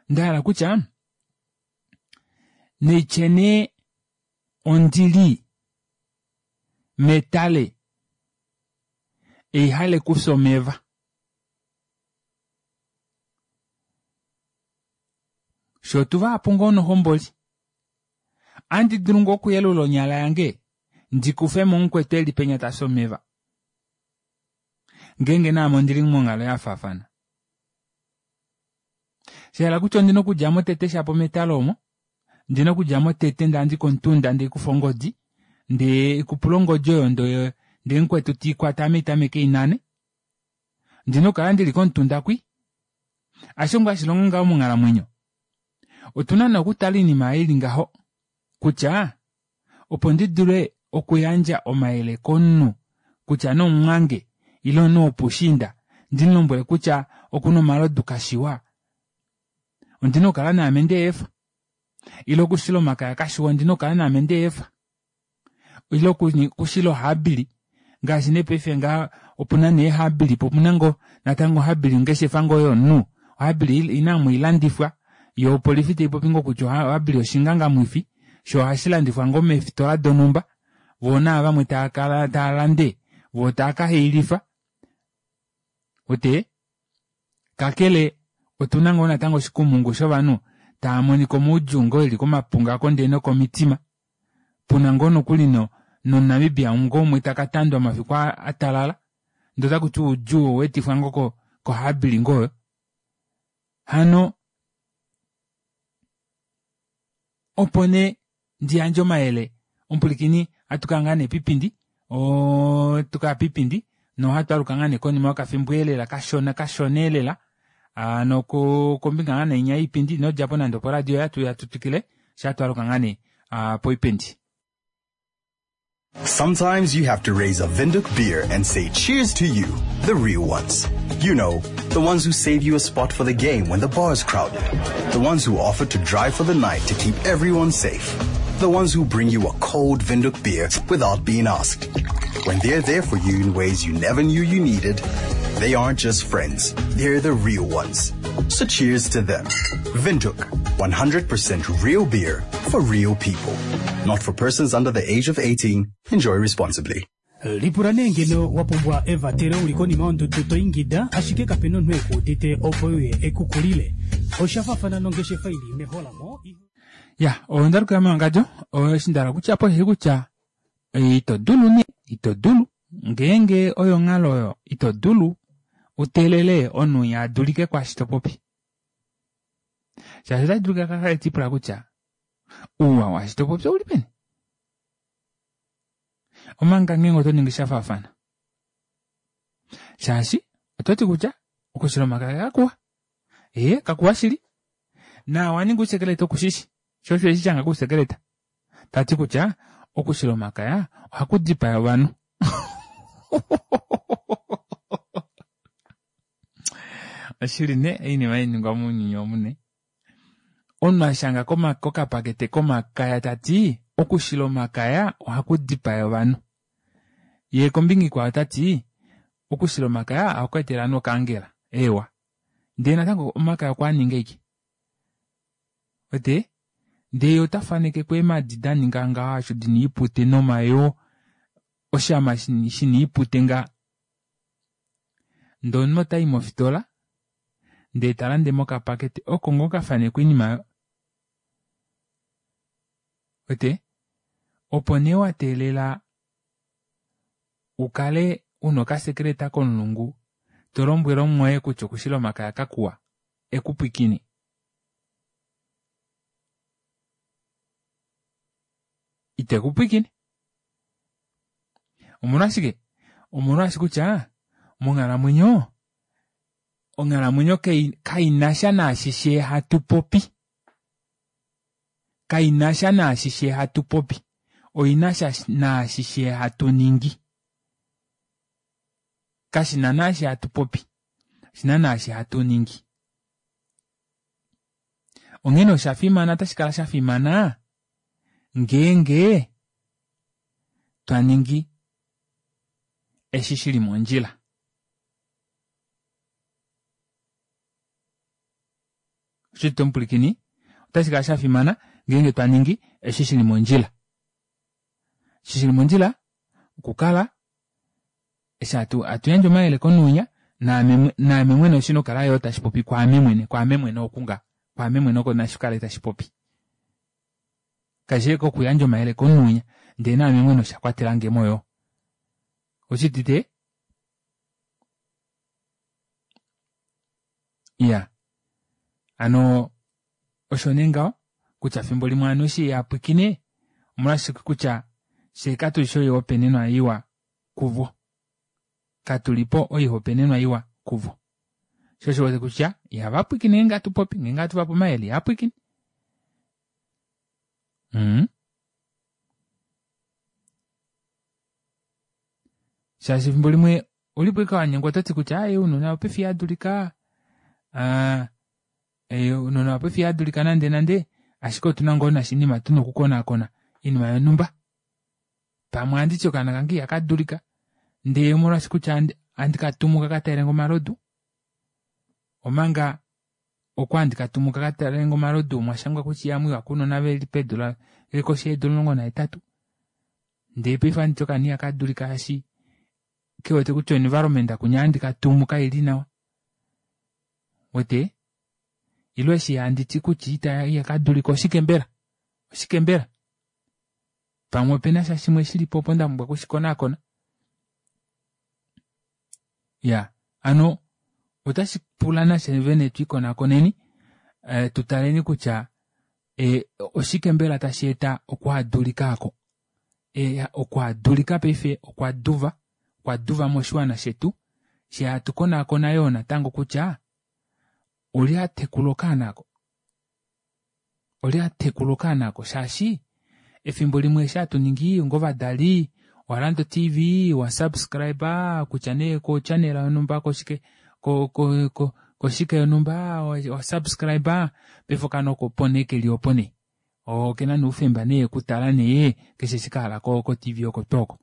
Ndahala kutya neityene ondili metale eihale kufya omeva. Sho tuva apo ngoo nohomboli, andi dulu ngoo okuyelula onyala yange ndikufe mo mukwetu eli penya tafya omeva. Ngeenge naame ondili monghalo ya faafana. Shahala kutya ondina okudja mo tete shapo metalo omo, ndina okudja mo tete ndandi komutunda ndikufa ongodi, ndee kupula ongodi oyo ndo ndee mukwetu tiikwata ame itameke inane. Ndina okukala ndili komutunda kwi. Asho ngoo hashilongo ngaho monghalamwenyo. Otuna nee okutala oinima ili ngaho kutya opo ndi dule okuyandja omayele komunhu kutya nomumwange ile omunhu wopushinda ndimulombwele kutya okuna omalodu kashiwa, ondina okukala naame ndeefa. Ile okushila omakaya kashiwa, ondina okukala naame ndeefa. Ile okushila ohabili ngaashi nee paife nga opuna nee habili po opuna ngoo natango habili ongeshefa ngoo yomunhu ohabili inamu ilandifwa yo opolifi taipopi ngoo kutya ohabili oshingangamwifi sho ohashi landifwa ngoo meefitola donhumba voo naa vamwe tava kala tava lande voo tava ka hailifa. Ote Kakele otuna ngoo natango oshikumungu shovanhu tava monika omaudjuu ngoo eli komapunga ndee nokomitima. Puna ngoo nokuli no nomuNamibia ngoo umwe taka tandwa omafiku atalala ndee otakuti oudjuu oweetifwa ngoo kohabili ngoo oyo. Hano opo nee ndiyandje omayele omupwilikini ohatukaya ngaa nee poipindi oo tukaya poipindi nohatwaaluka ngaa nee konima yokafimbo elela kashona kashona elela hano kombinga ngaa nee yoipindi inodjapo nande oporadio yoye atuya tutwikile shaa twaaluka ngaa nee poipindi. Sometimes you have to raise a Windhoek beer and say cheers to you, the real ones. You know, the ones who save you a spot for the game when the bar's crowded. The ones who offer to drive for the night to keep everyone safe. The ones who bring you a cold Windhoek beer without being asked. When they're there for you in ways you never knew you needed, they aren't just friends, they're the real ones. So cheers to them. Windhoek, one hundred percent real beer for real people. Not for persons under the age of eighteen. Enjoy responsibly. Lipula nee ngeno wa pumbwa evatelo uli konima yondudu to ingida ashike kapena omunhu eku udite opo uye ekukulile. Osha faafana nongeshefa ili meholamo. Ya, onda lukila mewangadjo, eshi ndahala kutya po osheshi kutya ito dulu nee, ito dulu ngeenge oyo onghalo oyo ito dulu uteelele omunhu winya adulike kwaashi topopi. Shaashi otashi dulika kakale tipula kutya ouwa waashi topopi ouli peni. Omanga ngeenge oto ningi sha faafana. Shaashi ototi kutya okushila omakaya kakuwa. Ee, kakuwa shili. Na waninga ousekeleta okushishi. Sho osho eshi shanga kousekeleta. Tati kutya okushila omakaya ohaku dipaya ovanhu. Oshili ne oinima hainingwa mounyuni omu ne. Omunhu ashanga kokapakete komakaya tati okushila omakaya ohaku dipaya ovanhu. Yee kombinga ikwao otati okushila omakaya ohaku etele ovanhu okaangela. Eewa. Ndee natango omakaya okwa ninga aike. Wete? Ndee ota faneke kweemadi daninga ngaho asho dina oipute nomayoo oshama shina oipute nga. Ndee omunhu otayi mofitola ndee talande mokapakete oko ngoo kafanekwa oinima aayo. Wete? Opo nee wateelela ukale una okasekeleta komulungu tolombwele omumwoye kutya okushila omakaya kakuwa ekupwiikine. Itekupwiikine. Omolwashike? Omolwaashi kutya monghalamwenyo onghalamwenyo kainasha naashishe hatu popi. Kainasha naashishe hatu popi. Oinasha naashishe hatu ningi. Kashina naashi hatu popi. Oshina naashi hatu ningi. Onghene osha fimana otashi kala sha fimana ngeenge twa ningi eshi shili mondjila. Oshili tomupulikini otashi kala sha fimana ngeenge twa ningi eshi shili mondjila. Eshi shili mondjila okukala eshi hatu yandje omayele komunhu naame mwene oshina okukala yoo tashi popi kwaame mwene kwaame mwene okunga kwaame mwene oko nashi kale tashi popi. Kashi kokuyandja omayele komunhu ndee naame mwene osha kwatelange mo yoo. Oshitite? Iya. Hano osho nee ngaho kutya fimbo limwe ovanhu eshi yapwiikine omolwashike kutya fyee katulishi oihopaenenwa iwa kuvo. Katulipo oihopaenenwa iwa kuvo. Sho osho wete kutya ihava pwiikine ngeenge hatu popi ngeenge hatu vape omayele ihava pwiikine. Mm. Shaashi efimbo limwe ulipo ashike wanyengwa ototi kutya aaye ounona paife ihadulika ounona paife ihadulika nande nande ashike otuna ngoo nashinima tuna okukonakona oinima yonhumba. Pamwe ohanditi okaana kange ihakadulika ndee omolwaashi kutya ohandi katumu kakatalelenge omalodu omanga okwa handi katumu kakatalelenge omalodu omwashangwa kutya ihamwiiwa kounona veli peedula veli koshi yeedula omulongo nahetatu ndee paife ohanditi okaana ihakadulika shaashi kewete kutya environment kunya handi katumu kaili nawa. Wete? Ile eshi handi ti kutya ita ihaka dulika oshike mbela? Oshike mbela? Pamwe opena sha shimwe shilipo opo nda pumbwa okushikonakona. Ya, hano otashi pula nafye vene twiikonakoneni eh, tu taleni kutya eh, oshike mbela tashi eta okuhadulika ako. E, okuhadulika paife okwa duva, okwa duva moshiwana shetu, she hatu konakona yoo natango kutya oli atekula okaana ako. Oli atekula okaana ako shaashi efimbo limwe eshi hatu ningi ongovadali owalanda o-T V, wa subscribe kutya nee ko channel yonhumba koshike ko, ko, ko, koshike yonhumba wa subscribe paife okaana oko opo nee keli opo nee. Okena nee oufemba nee okutala nee keshe eshi kahala ko, ko T V oko tuu oko.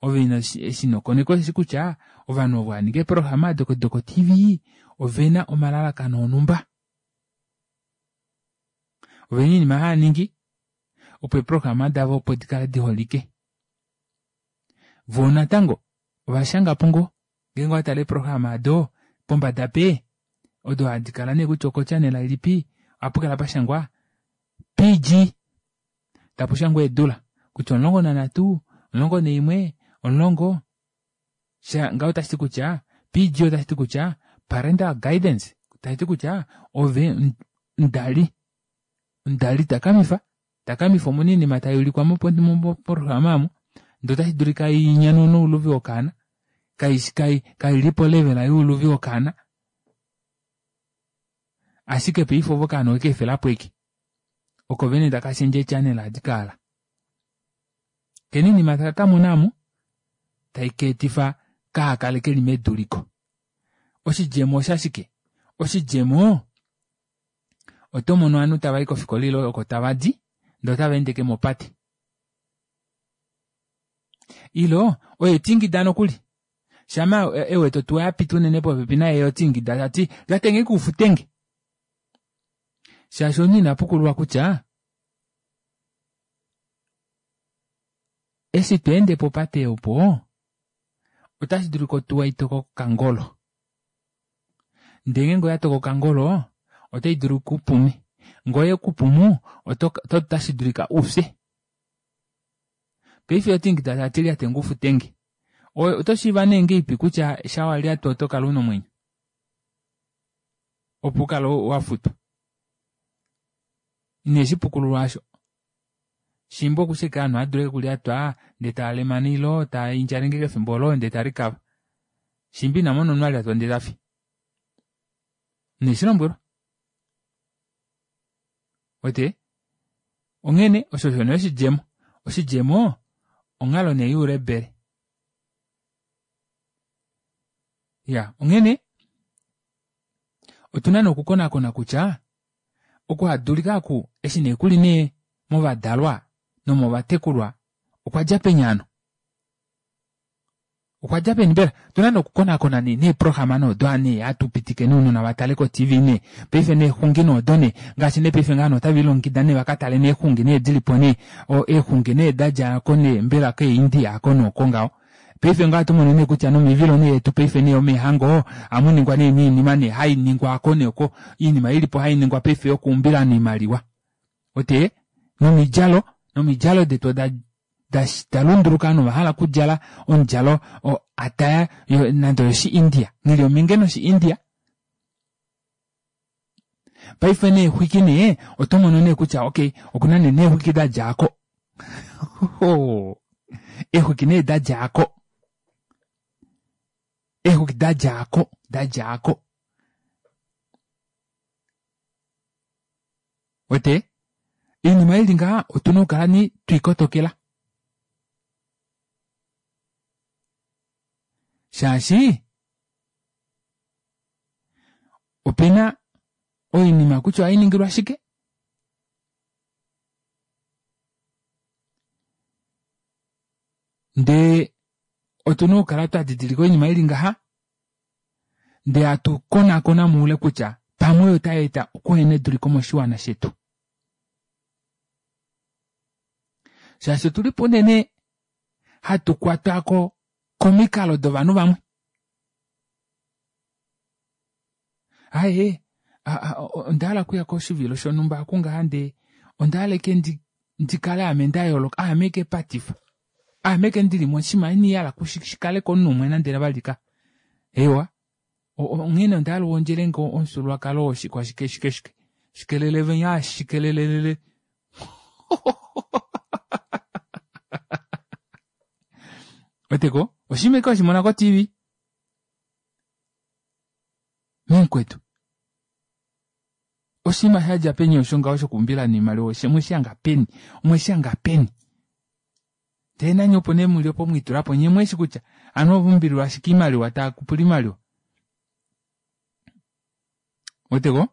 Ove ino eshi inokoneka osheshi kutya ovanhu ovo haninga eeprograma doko, doko T V ovena omalalakano onhumba. Ovena oinima haya ningi opo eeprograma davo opo dikale diholike. Voo natango ovashangapo ngoo ngeenge owatale eeprograma ado pombada pe odo hadi kala nee kutya oko channel ilipi ohapu kala pashangwa P G tapu shangwa eedula kutya omulongo nanhatu, omulongo naimwe, omulongo sha ngaho otashi ti kutya P G otashi ti kutya parental guidance tashi ti kutya ove mudali mudali takamifa takamifa omuna oinima tai ulikwa moprograma omo ndee otashi dulika inyanune ouluvi wokaana kai kailipo level youluvi wokaana ashike paife ovo okaana okeefelapo eke oko vene taka shendje channel adikaala kena oinima taka kamona omo tai keetifa kahakale keli meduliko. Oshidjemo oshashike? Oshidjemo oto mono ovanhu tava i kofikola ile oko tava di ndee otava endeke mopate. Ilo oye tingida nokuli shama ewete otuwa yapita unene popepi naye otingida tati lyatenge kuufutenge shaashi omunhu ina pukululwa kutya eshi tweende popate opo otashi dulika otuwa itoka okangolo ndee ngeenge oya toka okangolo otai dulu kupume ngoye kupumu otashi dulika ufye. Paife otingida tati lyatenge ufutenge oto shiiva nee ngeipi kutya shawalyatwa oto kala una omwenyo opo ukale wafutwa. Ine shipukululwa asho shimba okusheka ovanhu adule okulyatwa ndee taalemana ilo taindjalenge kefimbo olo ndee tarikava shimba inamona omunhu alyatwa ndee tafi. Ine shilombwelwa. Wete? Onghene osho osho nee oshidjemo. Oshidjemo onghalo nee youlebele. Ya, onghene otuna nee okukonakona kutya okuhadulika aku eshi nee kuli nee movadalwa nomovatekulwa okwa dja peni hano? Okwa dja peni mbela? Otuna nee okukonakona nee neeprograma noodo nee hatu pitike nounona vatale ko-T V nee paife neexungi noodo nee ngaashi nee paife ngaano otava ilongekida nee vakatale neexungi nee dilipo nee eexungi nee dadja ko nee mbela kee-India ako nooko ngaho. Paife ngaho ohatu mono nee kutya nomivilo nee yetu paife nee yomeehango ohamu ningwa nee noinima nee hai ningwa ako neeko oinima ilipo hai ningwa paife yokuumbila oimaliwa. Ote nomidjalo nomidjalo detu oda da lunduluka ovanhu ovahala okudjala omudjalo ataya nande oyoshi India nghili ominge noshi India. Paife neexwiki nee oto mono nee kutya okay okuna nee neexwiki dadjaako eexwiki nee dadjaako eexwiki dadjaako dadjaako wete oinima ili ngaha otuna okukala ni twikotokela shaashi opena oinima kutya ohainingilwa shike ndee otuna okukala twadidilika oinima ili ngaha ndee hatu konakona moule kutya pamwe oyo otai eta okuhena eduliko moshiwana shetu. Shaashi otulipo unene hatu kwatwako komikalo dovanhu vamwe. Aye Onda hala okuya koshivilo shonhumba okungaha ndee onda hala eke ndi ndikale ame nda yooloka aame eke patifa aame eke ndili moshinima ina hala shikale komunhu umwe nande valika eewa onghene onda hala uwondjelenge omufyuululwakalo woshike shike shike shikelele venya shikelelelele weteko oshinima eke weshimona ko T V mumukwetu oshinima shadja peni osho ngaho shokuumbila noimaliwa omweshihanga peni omweshihanga peni ndee nanye opo nee muli opo mwiitulapo nyee mweshi kutya ovanhu ovaumbililwa ashike oimaliwa taakupula oimaliwa weteko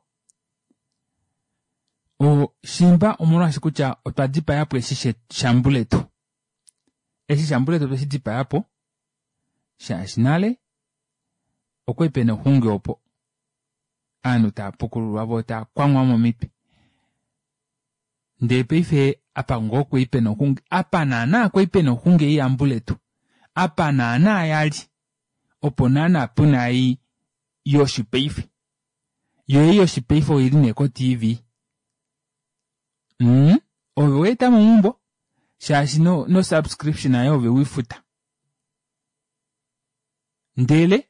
shiimba omolwaashi kutya otwa dipayapo eshi shambuletu eshi shambuletu otwe shi dipayapo shaashi nale okwali pena oxungi opo ovanhu tava pukululwa voo tava kwamwa momitwe ndee paife apa ngoo kwali pena oxungi apa naana kwali pena oxungi ei yambuletu apa naana yali opo naana puna ei yoshipaife yoo ei yoshipaife oili nee ko T V mm ove weetamo meumbo shaashi no, no subscription ayo ove weifuta ndele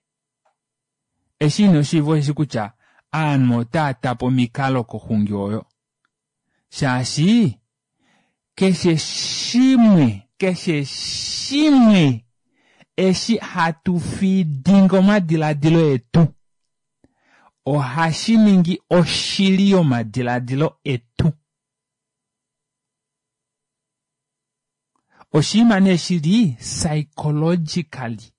eshi ino shiiva osheshi kutya ovanhu otava tapa omikalo koxungi oyo shaashi keshe shimwe keshe shimwe eshi hatu feedinga omadiladilo etu ohashi ningi oshili yomadiladilo etu. Oshinima nee shili psychologically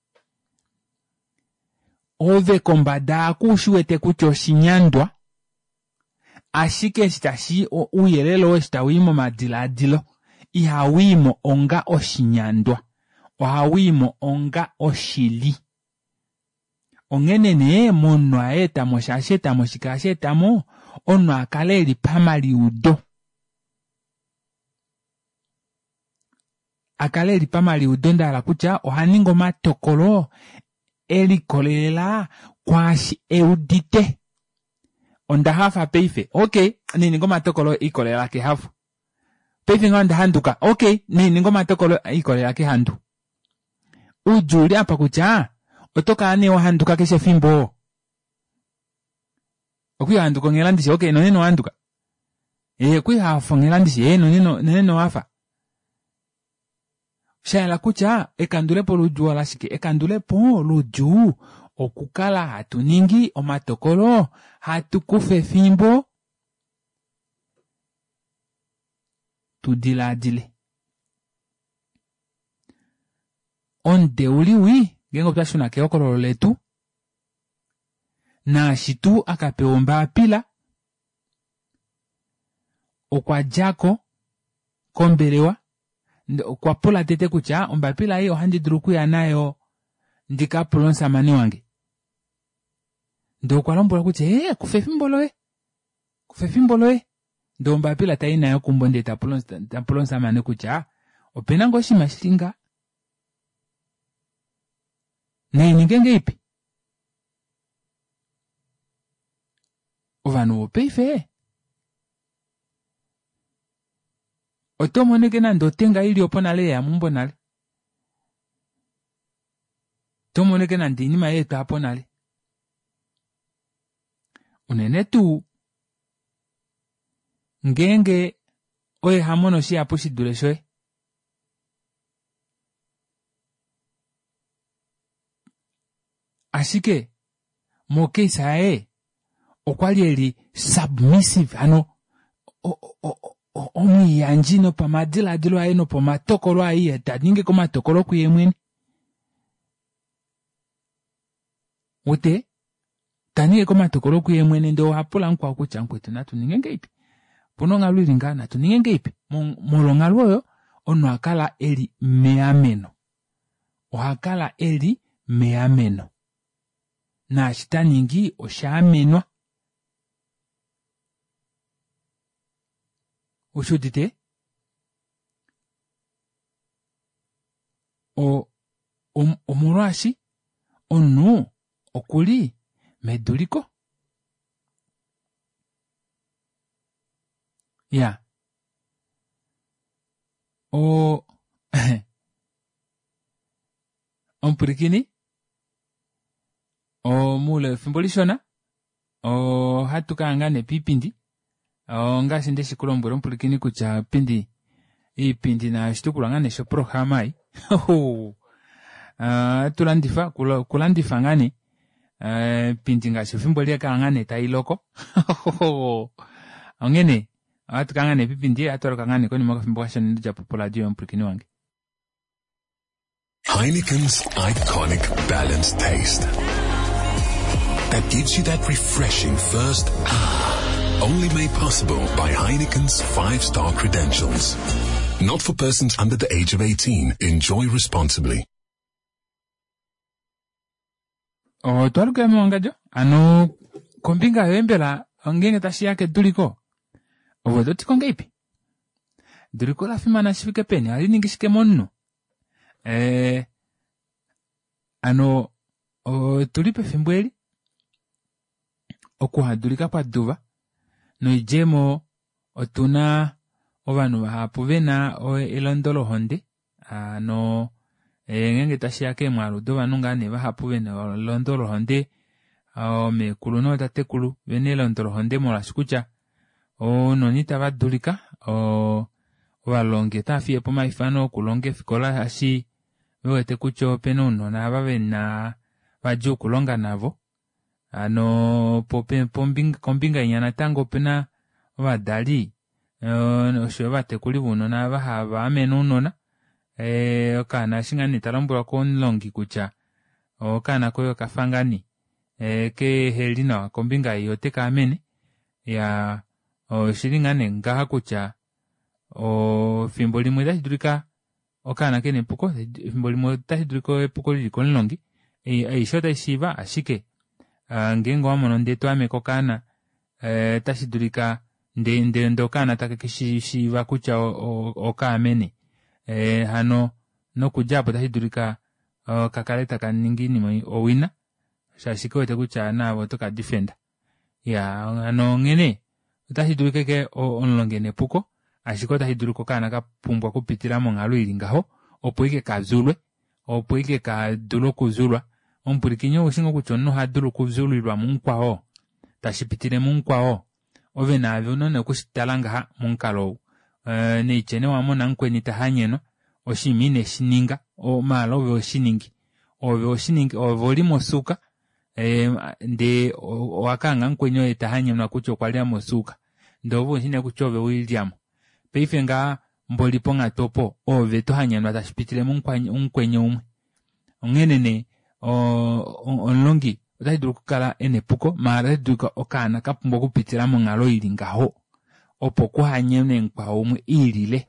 ove kombada aku ushi wete kutya oshinyandwa ashike eshi tashi ouyelele oo eshi tawii momadilaadilo ihawiimo onga oshinyandwa ohawiimo onga oshili. Onghene nee momunhu aetamo shaashi etamo shike ohashi etamo omunhu akale eli pamaliudo akale eli pamaliudo ndahala kutya ohaningi omatokolo elikolelela kwaashi eudite. Onda hafa paife okay nininga omatokolo ikolelela kehafo paife ngaho onda handuka okay nininga omatokolo ikolelela kehandu. Oudjuu uli apa kutya oto kala nee wahanduka keshe efimbo okwihanduka onghela ndishi okay nonena owahanduka ee okwihafa onghela ndishi ee nonena owahafa shayela kutya ekandulepo loudjuu olashike ekandulepo loudjuu okukala hatu ningi omatokolo hatu kufa efimbo tu dilaadile. Omudeuli wii ngeenge otwa shuna kehokololo letu naashi tuu akapewa ombapila okwa djako kombelewa okwa pula tete kutya ombapila ei ohandi dulu okuya nayo ndikapule omusamane wange ndee okwa lombwelwa kutya ee kufa efimbo loye kufa efimbo loye ndee ombapila tai nayo keumbo ndee tapula omusamane kutya opena ngoo oshinima shili nga naininge ngeipi ovanhu vopaife oto moneke nande otenga ili opo nale yeya meumbo nale oto moneke nande oinima yeetwapo nale unene tuu ngeenge oye hamono shihapu shidule shoye ashike mocase yaye okwali eli submissive hano omwiiyandji nopamadilaadilo aye nopamatokolo aye taningi omatokolo kuye mwene wete taningi omatokolo kuye mwene ndee ohapula mukwao kutya mukwetu natu ninge ngeipi opuna onghalo ili ngaha natu ninge ngeipi molwa onghalo oyo omunhu ohakala eli meameno ohakala eli meameno naashi taningi oshaamenwa ushuudite o omolwaashi omunhu okuli meduliko. Ya. O omupwilikini omuule wefimbo lishona ohatu kaya ngaa nee piipindi ongaashi ndeshi kulombwela omupwilikini kutya iipindi iipindi nayo oshitukulwa ngaa nee shoprograma ei ohatu landifa okulandifa ngaa nee iipindi ngaashi efimbo eli ohaikala ngaa nee tailoko onghene ohatu kaya ngaa nee piipindi ohatu aluka ngaa nee konima yokafimbo kashona inodjapo poradio yomupwilikini wange. Heineken's iconic balanced taste that gives you that refreshing first ah. Only made possible by Heineken's five-star credentials. Not for persons under the age of eighteen. Enjoy responsibly. Otwa lukila mewangadjo ano kombinga yoye mbela ngeenge tashiya keduliko ove oto ti ko ngahelipi? Eduliko ola fimana shi fike peni? Ohali ningi shike momunhu? Eh, ano otuli pefimbo eli okuhadulika kwa duva noidjemo otuna ovanhu vahapu vena elondo lohonde hano ngeenge tashiya keemwaalu dovanhu ngaa nee vahapu vena elondo lohonde oomekulu nootatekulu vena elondo lohonde molwaashi kutya ounona itava dulika ovalongi otava fiyepo omaifano okulonga eefikola shaashi vewete kutya opena ounona ava vena vadjuu okulonga navo hano kombinga inya natango opena ovadali oshoyo ovatekuli vounona ava hava amene ounona okaana eshi ngaa nee talombwelwa komulongi kutya okaana koye okafa ngaa nee keheli nawa kombinga ei oteka amene iyaa oshili ngaa nee ngaha kutya efimbo limwe otashi dulika okaana kena epuko efimbo limwe otashi dulika epuko lili komulongi aishe otaishiiva ashike ngeenge owamono ndee twaameke okaana otashi dulika ndee ndee okaana take keshishiiva kutya okaamene hano nokudja aapo otashi dulika kakale taka ningi oinima owina shaashi kewete kutya naave oto kadefenda iyaa hano onghene otashi dulika ashike omulongi ena epuko ashike otashi dulika okaana kapumbwa okupitila monghalo ili ngaho opo ike kavyulwe opo ike kadule okuvyulwa. Omupwilikini oushi ngoo kutya omunhu ohadulu okuvyulilwa mumukwao tashi pitile mumukwao ove naave ouna nee okushitala ngaha momukalo ou neitye nee owamona mukweni tahanyenwa oshinima ineshininga maala ove hoshiningi ove hoshiningi ove oli mosuuka ndee owakahanga mukweni oye tahanyenwa kutya okwalya mosuuka ndee ove ushi nee kutya ove welilyamo paife ngaha mboli ponghatu opo ove tohanyenwa tashi pitile mumukweni umwe onghene nee omulongi otashi dulu okukala ena epuko maala otashi dulika okaana kapumbwa okupitila monghalo ili ngaho opo kuhanyenwe mukwao umwe iilile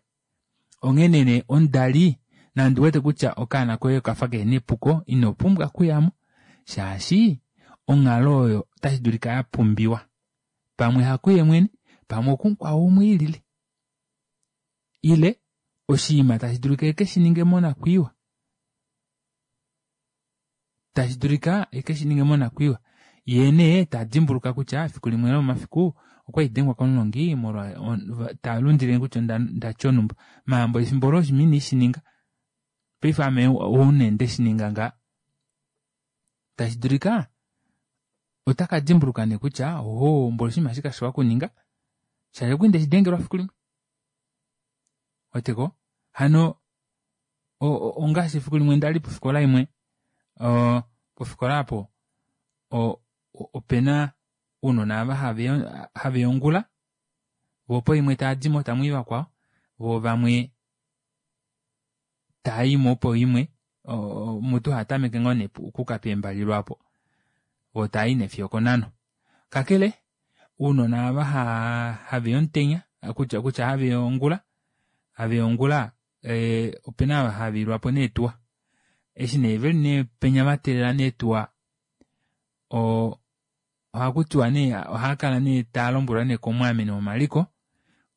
onghene nee omudali nande uwete kutya okaana koye okafa kehena epuko ino pumbwa okuyamo shaashi onghalo oyo otashi dulika yapumbiwa pamwe hakuye mwene pamwe okumukwao umwe ilile ile oshinima tashi dulika ekeshininge monakwiiwa tashi dulika ekeshininge monakwiiwa yee nee tadimbuluka kutya efiku limwe lomomafiku okwali dengwa komulongi molwa talundile kutya ndatya onumba maambo efimbo olo oshinima ineshininga paife ame oune ndeshininga nga tashi dulika otaka dimbuluka nee kutya oho mboli oshinima eshi kashiwa okuninga shaashi okwali ndeshidengelwa efiku limwe weteko hano ongaashi efiku limwe ndali pofikola imwe pofikola aapo opena ounona ava haveya ongula voo poimwe taadimo tamwii vakwao voo vamwe taayimo poimwe mutu haatameke ngoo nee okuuka peembali lwaapo voo taayi nee fiyo okonhano kakele ounona ava haveya omutenya kutya kutya haveya ongula haveya ongula opena ava haviilwapo neetuwa eshi nee veli nee penya vateelela neetuwa ohakutiwa nee ohaakala nee taalombwelwa nee komwaameni womaliko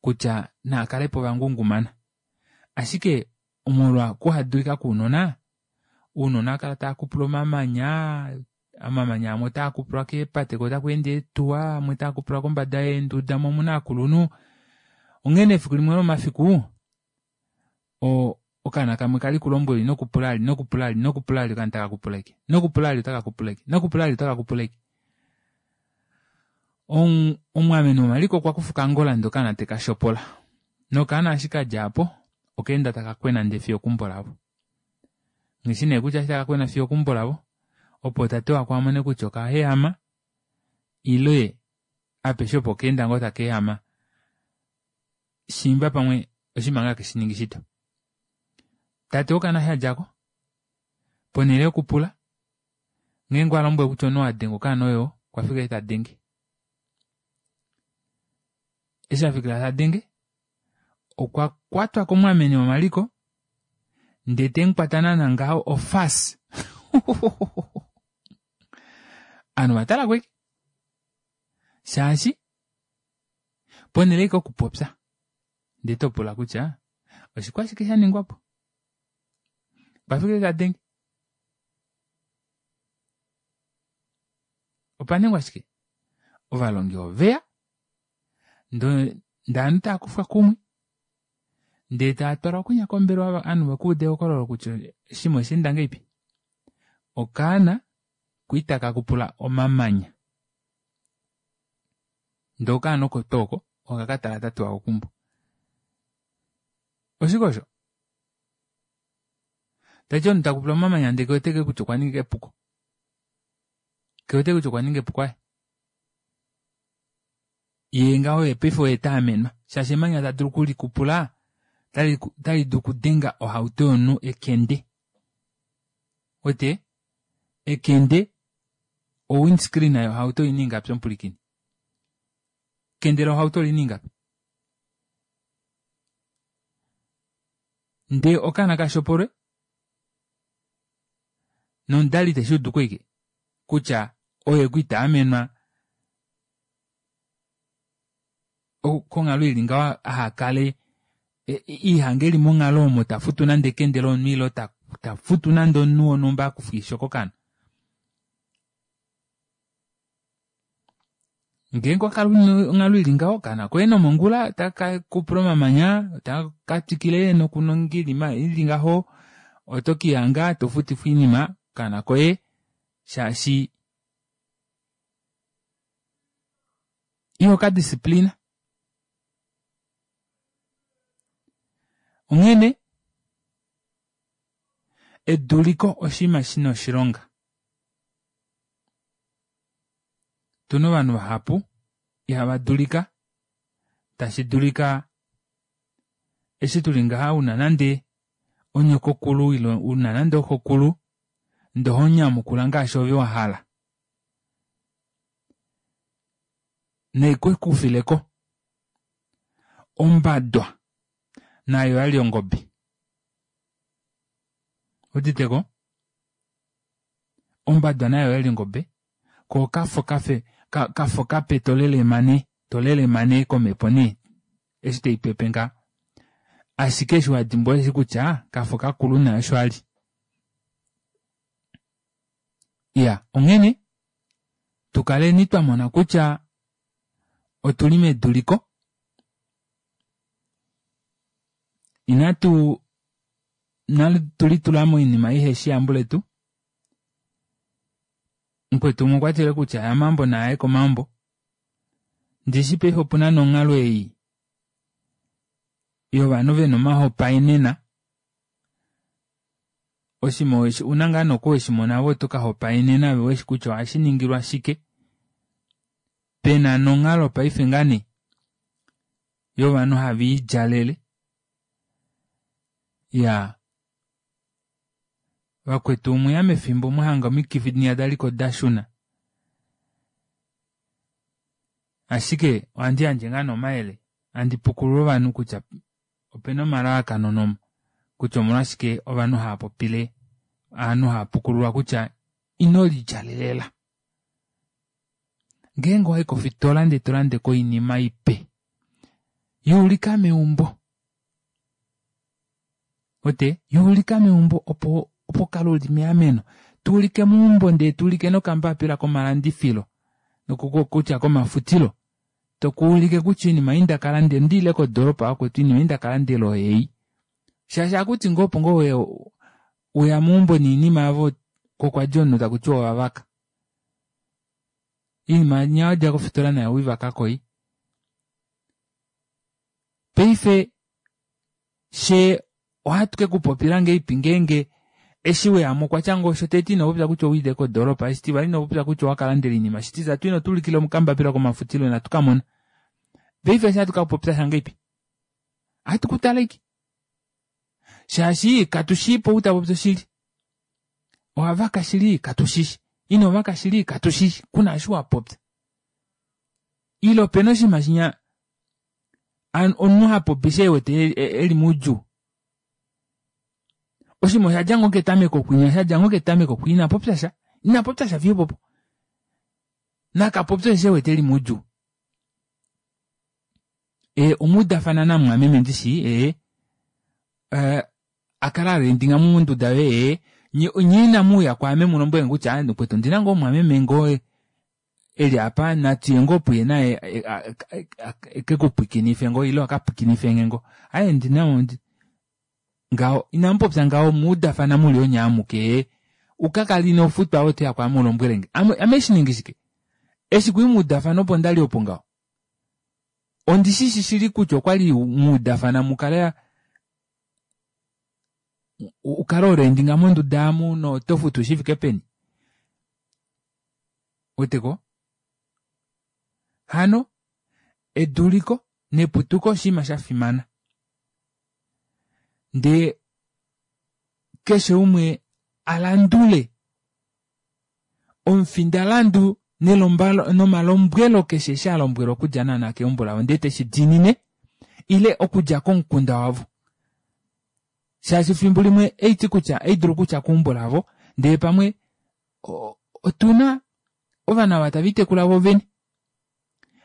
kutya naakalepo vangungumana ashike molwa okuhadulika kwounona ounona ohaakala taakupula omamanya omamanya amwe otaakupulwa keepate koo otaku ende eetuwa amwe otaakupulwa kombada yeenduda moo omuna ovakulunhu Onghene efiku limwe lomafiku o okaana kamwe kali kulombwela inokupula ali inokupula ali inokupula ali okaana taka kupula ashike inokupula ali otaka kupula ashike inokupula ali otaka kupula ashike. Omumwameme womaliko okwa kufa okangola ndee okaana teka shopola nokaana eshi kadja aapo okaenda taka kwena ndee fiyo okeumbo lavo. Nghishi nee kutya eshi taka kwena fiyo okeumbo lavo opo tate wako amone kutya okayehama ile apeshe opo okaenda ngoo taka ehama shiimba pamwe oshinima ngoo hakeshi shito. Tate wokaana eshi adjako ponele yokupula ngeenge alombwelwe kutya omunhu oo adenga okaana oyoo okwafika ashike tadenge. Eshi afikila tadenge okwa kwatwa komumwameme womaliko ndee temukwata naana ngaho ofasi ovanhu ovatalako ashike shaashi ponele ashike okupopya ndee topula kutya oshikwashike shaningwapo okwafika ashike tadenge opaningwa shike ovalongi oveya ndee ovanhu taakufwa kumwe ndee taatwalwa kwinya kombelewa ovanhu vakuude ehokololo kutya oshinima oshaenda ngahelipi. Okaana kwali taka kupula omamanya ndee okaana oko tuu oko okakatala tate wako keumbo. Oshike osho? Tashiti omunhu takupula omamanya ndee kewete kutya okwaninga epuko kewete kutya okwaninga epuko aaye yee ngaho paife oye taamenwa shaashi emanya tadulu okulikupula otali dulu okudenga ohauto yomunhu ekende uwete ekende o windscreen yohauto oina ingapi omupwilikini ekende lohauto olina ingapi ndee okaana kashopolwe nomudali teshuuduko ashike kutya oye kwali taamenwa konghalo ili ngaho ahakale ihange eli monghalo omo tafutu nande ekende lomunhu ile tafutu nande omunhu wonhumba akufwe oisho kokaana. Ngeenge owakala una onghalo ili ngaho okaana koye nomongula otaka kupula omamanya otaka twikile nokuninga oinima ili ngaho oto kelihanga tofutifwa oinima okaana koye shaashi ihoka discipline. Onghene eduliko oshinima shina oshilonga. Otuna ovanhu vahapu ihava dulika tashi dulika eshi tuli ngaha una nande onyokokulu ile una nande oxokulu ndee ohomunyamukula ngaashi ove wahala naikekufileko ombadwa nayo oyali ongobe owuuditeko ombadwa nayo oyali ongobe koo okafo kafe kafa okape tolelemane tolelemane komepo nee eshi taipepe ngaha ashike eshi wadimbwa osheshi kutya kafo kakulu naye osho ali. Iyaa onghene tukaleni twamona kutya otuli meduliko inatu inatu litula moinima iheshi yambuletu. Mukwetu umwe okwatile kutya yamaambo naaye komaambo ndishi paife opuna nonghalo ei yovanhu vena omahopaenena oshinima una ngaa noku weshimona ove oto kahopaenena ove uheshi kutya ohashiningilwa shike pena nonghalo paife ngaa nee yovanhu haviidjalele iyaa vakwetu omweya mefimbo mwahanga omikifi dinya daliko dashuna ashike ohandi yandje ngaa nee omayele handi pukulula ovanhu kutya opena omalalakano nom kutya omolwashike ovanhu haapopile ovanhu haapukululwa kutya ino lidjalelela. Ngeenge owayi kofitola ndee tolandeko oinima ipe yuulika meumbo uwete yuulika meumbo opo opo ukale uli meameno tuulike meumbo ndee tuulike nokambapila komalandifilo kutya komafutilo Tokuulike kutya iinima ei nda kala nde ndiile kodoropa yakwetu iinima ei nda kalandela oyei. Shaashi akuti ngoo opo ngoo weya meumbo niinima yavo kokwadi omunhu takuti owavaka. Iinima nya wadja kofitola nayo oweivakako ei. Paife shee ohatu kekupopila ngahelipi ngeenge eshi weyamo okwatya ngoo shotete inopopya kutya owiile kodoropa, eshitivali inopopya kutya owakalandela oinima, shititatu ino tuulikila okambapila komafutilo inatu kamona. Paife eshi ohatu kakupopya ngahelipi? Ohatu kutale ashike shaashi katushiipo ou tapopi oshili. Owavaka shili katushishi, inovaka shili katushishi, kuna eshi wapopya. Ile opena oshinima shinya omunhu hapopi eshi ewete eli moudjuu. Oshinima oshadja ngoo ketameko kwinya shadja ngoo ketameko kwinya inapopyasha inapopyasha fiyo opopo nakapopye osheshi ewete eli moudjuu. Ee omwaudafana namumwameme ndishi ee akale arendinga monduda yoye ee nyee inamuuya kwaame mulombwelenge kutya mukwetu ondina ngoo mumwameme ngoo eli aapa natuye ngoo puye naye ekekupwiikinife ngoo ile akapwiikinifenge ngoo aaye ondina ngaho inamupopya ngaho omwaudafana muli onye amuke ee ukakale inofutwa ove otoya kwaame ulombwelenge ame haishiningi shike eshi kwali mwaudafana opo ndali opo ngaho ondishishi shili kutya okwali mwaudafana mukale ukale horendinga monduda amu notofutu shifike peni ouweteko hano eduliko neputuko oshinima shafimana ndee keshe umwe alandule omufindalandu nomalombwelo keshe eshi alombwelwa okudja naana keumbo lavo ndee teshidiinine ile okudja komukunda wavo shaashi efimbo limwe haiti kutya haidulu kutya keumbo lavo ndee pamwe otuna ovanhu ava taviitekula voovene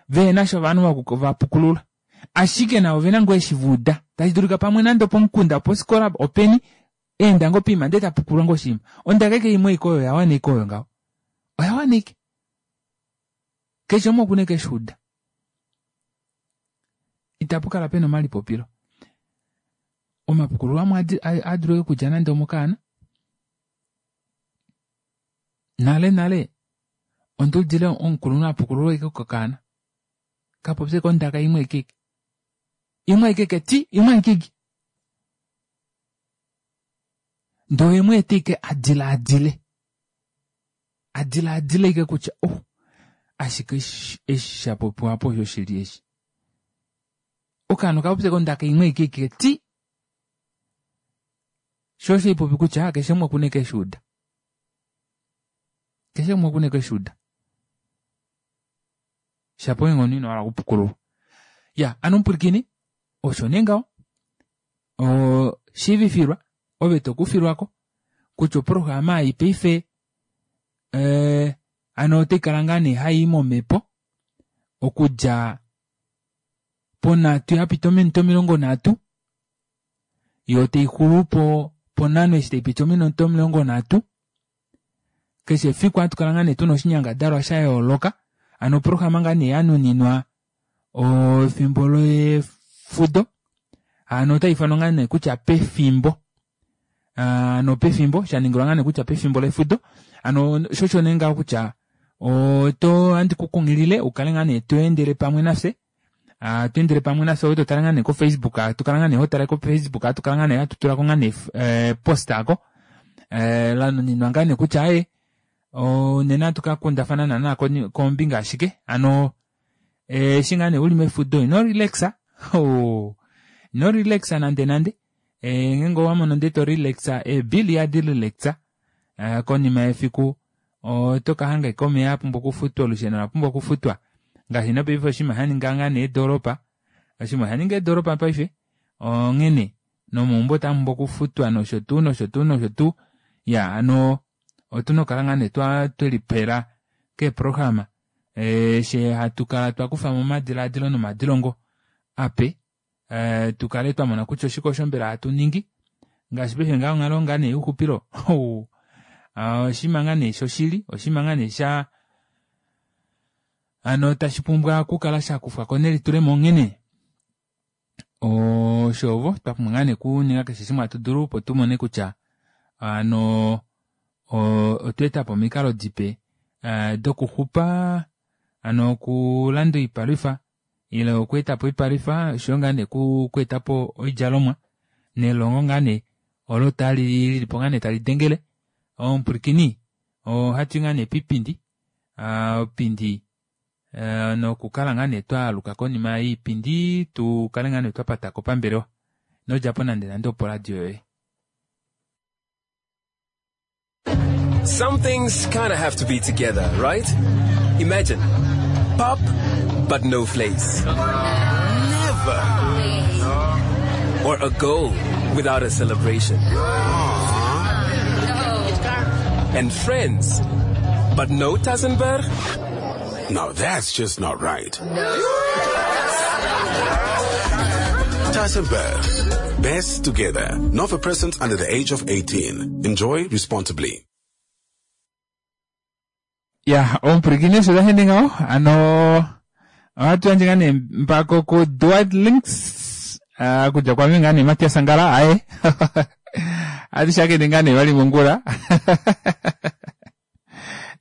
vehenasha ovanhu vapukulula ashike navo ovena ngoo eshi vauda tashi pamwe nande opomukunda opofikola openi eenda ngoo poima ndee tapukululwa ngoo oshinima ondaka ashike imwe aike oyo oyawana ashike oyo ngaho oyawana ashike keshe umwe okuna ashike eshuuda itapukala pena omalipopilo omapukululo amwe ohaadulu ashike okudja nande omokaana nale nale onduudile omukulunhu apukululwa ashike kokaana kapopye ashike ondaka imwe aike imwe aike ti imwe aike ndee oyemweeta ashike adilaadile adilaadile ashike kutya oh ashike eshi shapopiwa aapa osho shili eshi okaana okapopya ashike ondaka imwe aike ti shoo osho haipopi kutya keshe umwe okuna ashike eshuuda keshe umwe okuna ashike eshuuda shapo ngenge omunhu inohala okupukululwa iya hano omupwilikini osho nee ngaho oo shiivifilwa ove tokufilwako kutya oprograma ei paife ee hano otaikala ngaa nee hayi momepo okudja ponhatu yapita ominute omilongo nhatu yoo taixulu po ponhano eshi taipiti ominute omilongo nhatu keshe efiku ohatukala ngoo nee tuna oshinyangadalwa shayooloka hano oprograma ngaa nee yanuninwa efimbo lefudo hano otaifanwa ngaa nee kutya pefimbo hano pefimbo shaningilwa ngaa nee kutya pefimbo lefudo hano shoo osho nee ngaho kutya oto ohandi kukunghilile ukale ngaa nee tweendele pamwe nafye tweendele pamwe nafye ove totale ngaa nee ko facebook hatukala ngaa nee hotale ko facebook hatukala ngaa nee hatutulako ngaa nee post aako lanuninwa ngaa nee kutya aaye nena ohatu kakundafana naana kombinga ashike hano eshi ngaa nee uli mefudo ino relaxa ino relaxa nande nande ngeenge owamono ndee to relaxa eebill ihadi relaxa konima yefiku otokahanga ashike omeva apumbwa okufutwa olusheno olapumbwa okufutwa ngaashi nopaife oshinima shaninga ngaa nee eedoropa oshinima oshaninga eedoropa paife onghene nomaumbo otamupumbwa okufutwa noshotuu noshotuu noshotuu iyaa hano otuna okukala ngaa nee twelipela keeprograma eshi hatukala twakufamo omadilaadilo nomadilongo ape tukale twamona kutya oshike osho mbela hatu ningi ngaashi paife ngaha onghalo ngaa nee youxupilo oshinima ngaa nee shoshili oshinima ngaa nee sha Hano tashi pumbwa okukala shakufwako nelitulemo onghene oshovo twapumbwa ngaa nee okuninga keshe shimwe hatu dulu opo tumone kutya hano otweetapo omikalo dipe dokuxupa hano okulanda oipalwifa ile okweetapo oipalwifa oshoyo ngaa nee okweetapo oidjalomwa nelongo ngaa nee olo tali lilipo ngaa nee talidengele omupwilikini ohatwii ngaa nee piipindi oipindi nokukala ngaa nee twaaluka konima yoipindi tukale ngaa nee twapatako pambelewa inodjapo nande nande poradio yoye. Some things kinda have to be together, right? Imagine pap, but no vleis. Never. Or a goal without a celebration. And friends, but no Tassenberg? Now that's just not right. Tassenberg. Best together. Not for persons under the age of eighteen. Enjoy responsibly. Ya, omupwilikini osho tashi ngaho ano ohatu yandje ngaa nee mpako ku Dwight Links okudja kwame ngaa nee Matias Angala aye ohatu shakene ngaa nee vali mongula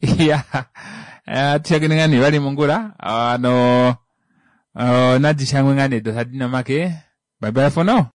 ya ohatu shakene ngaa nee vali mongula ano nadi shangwe ngaa nee dosadina make. Bye bye for now.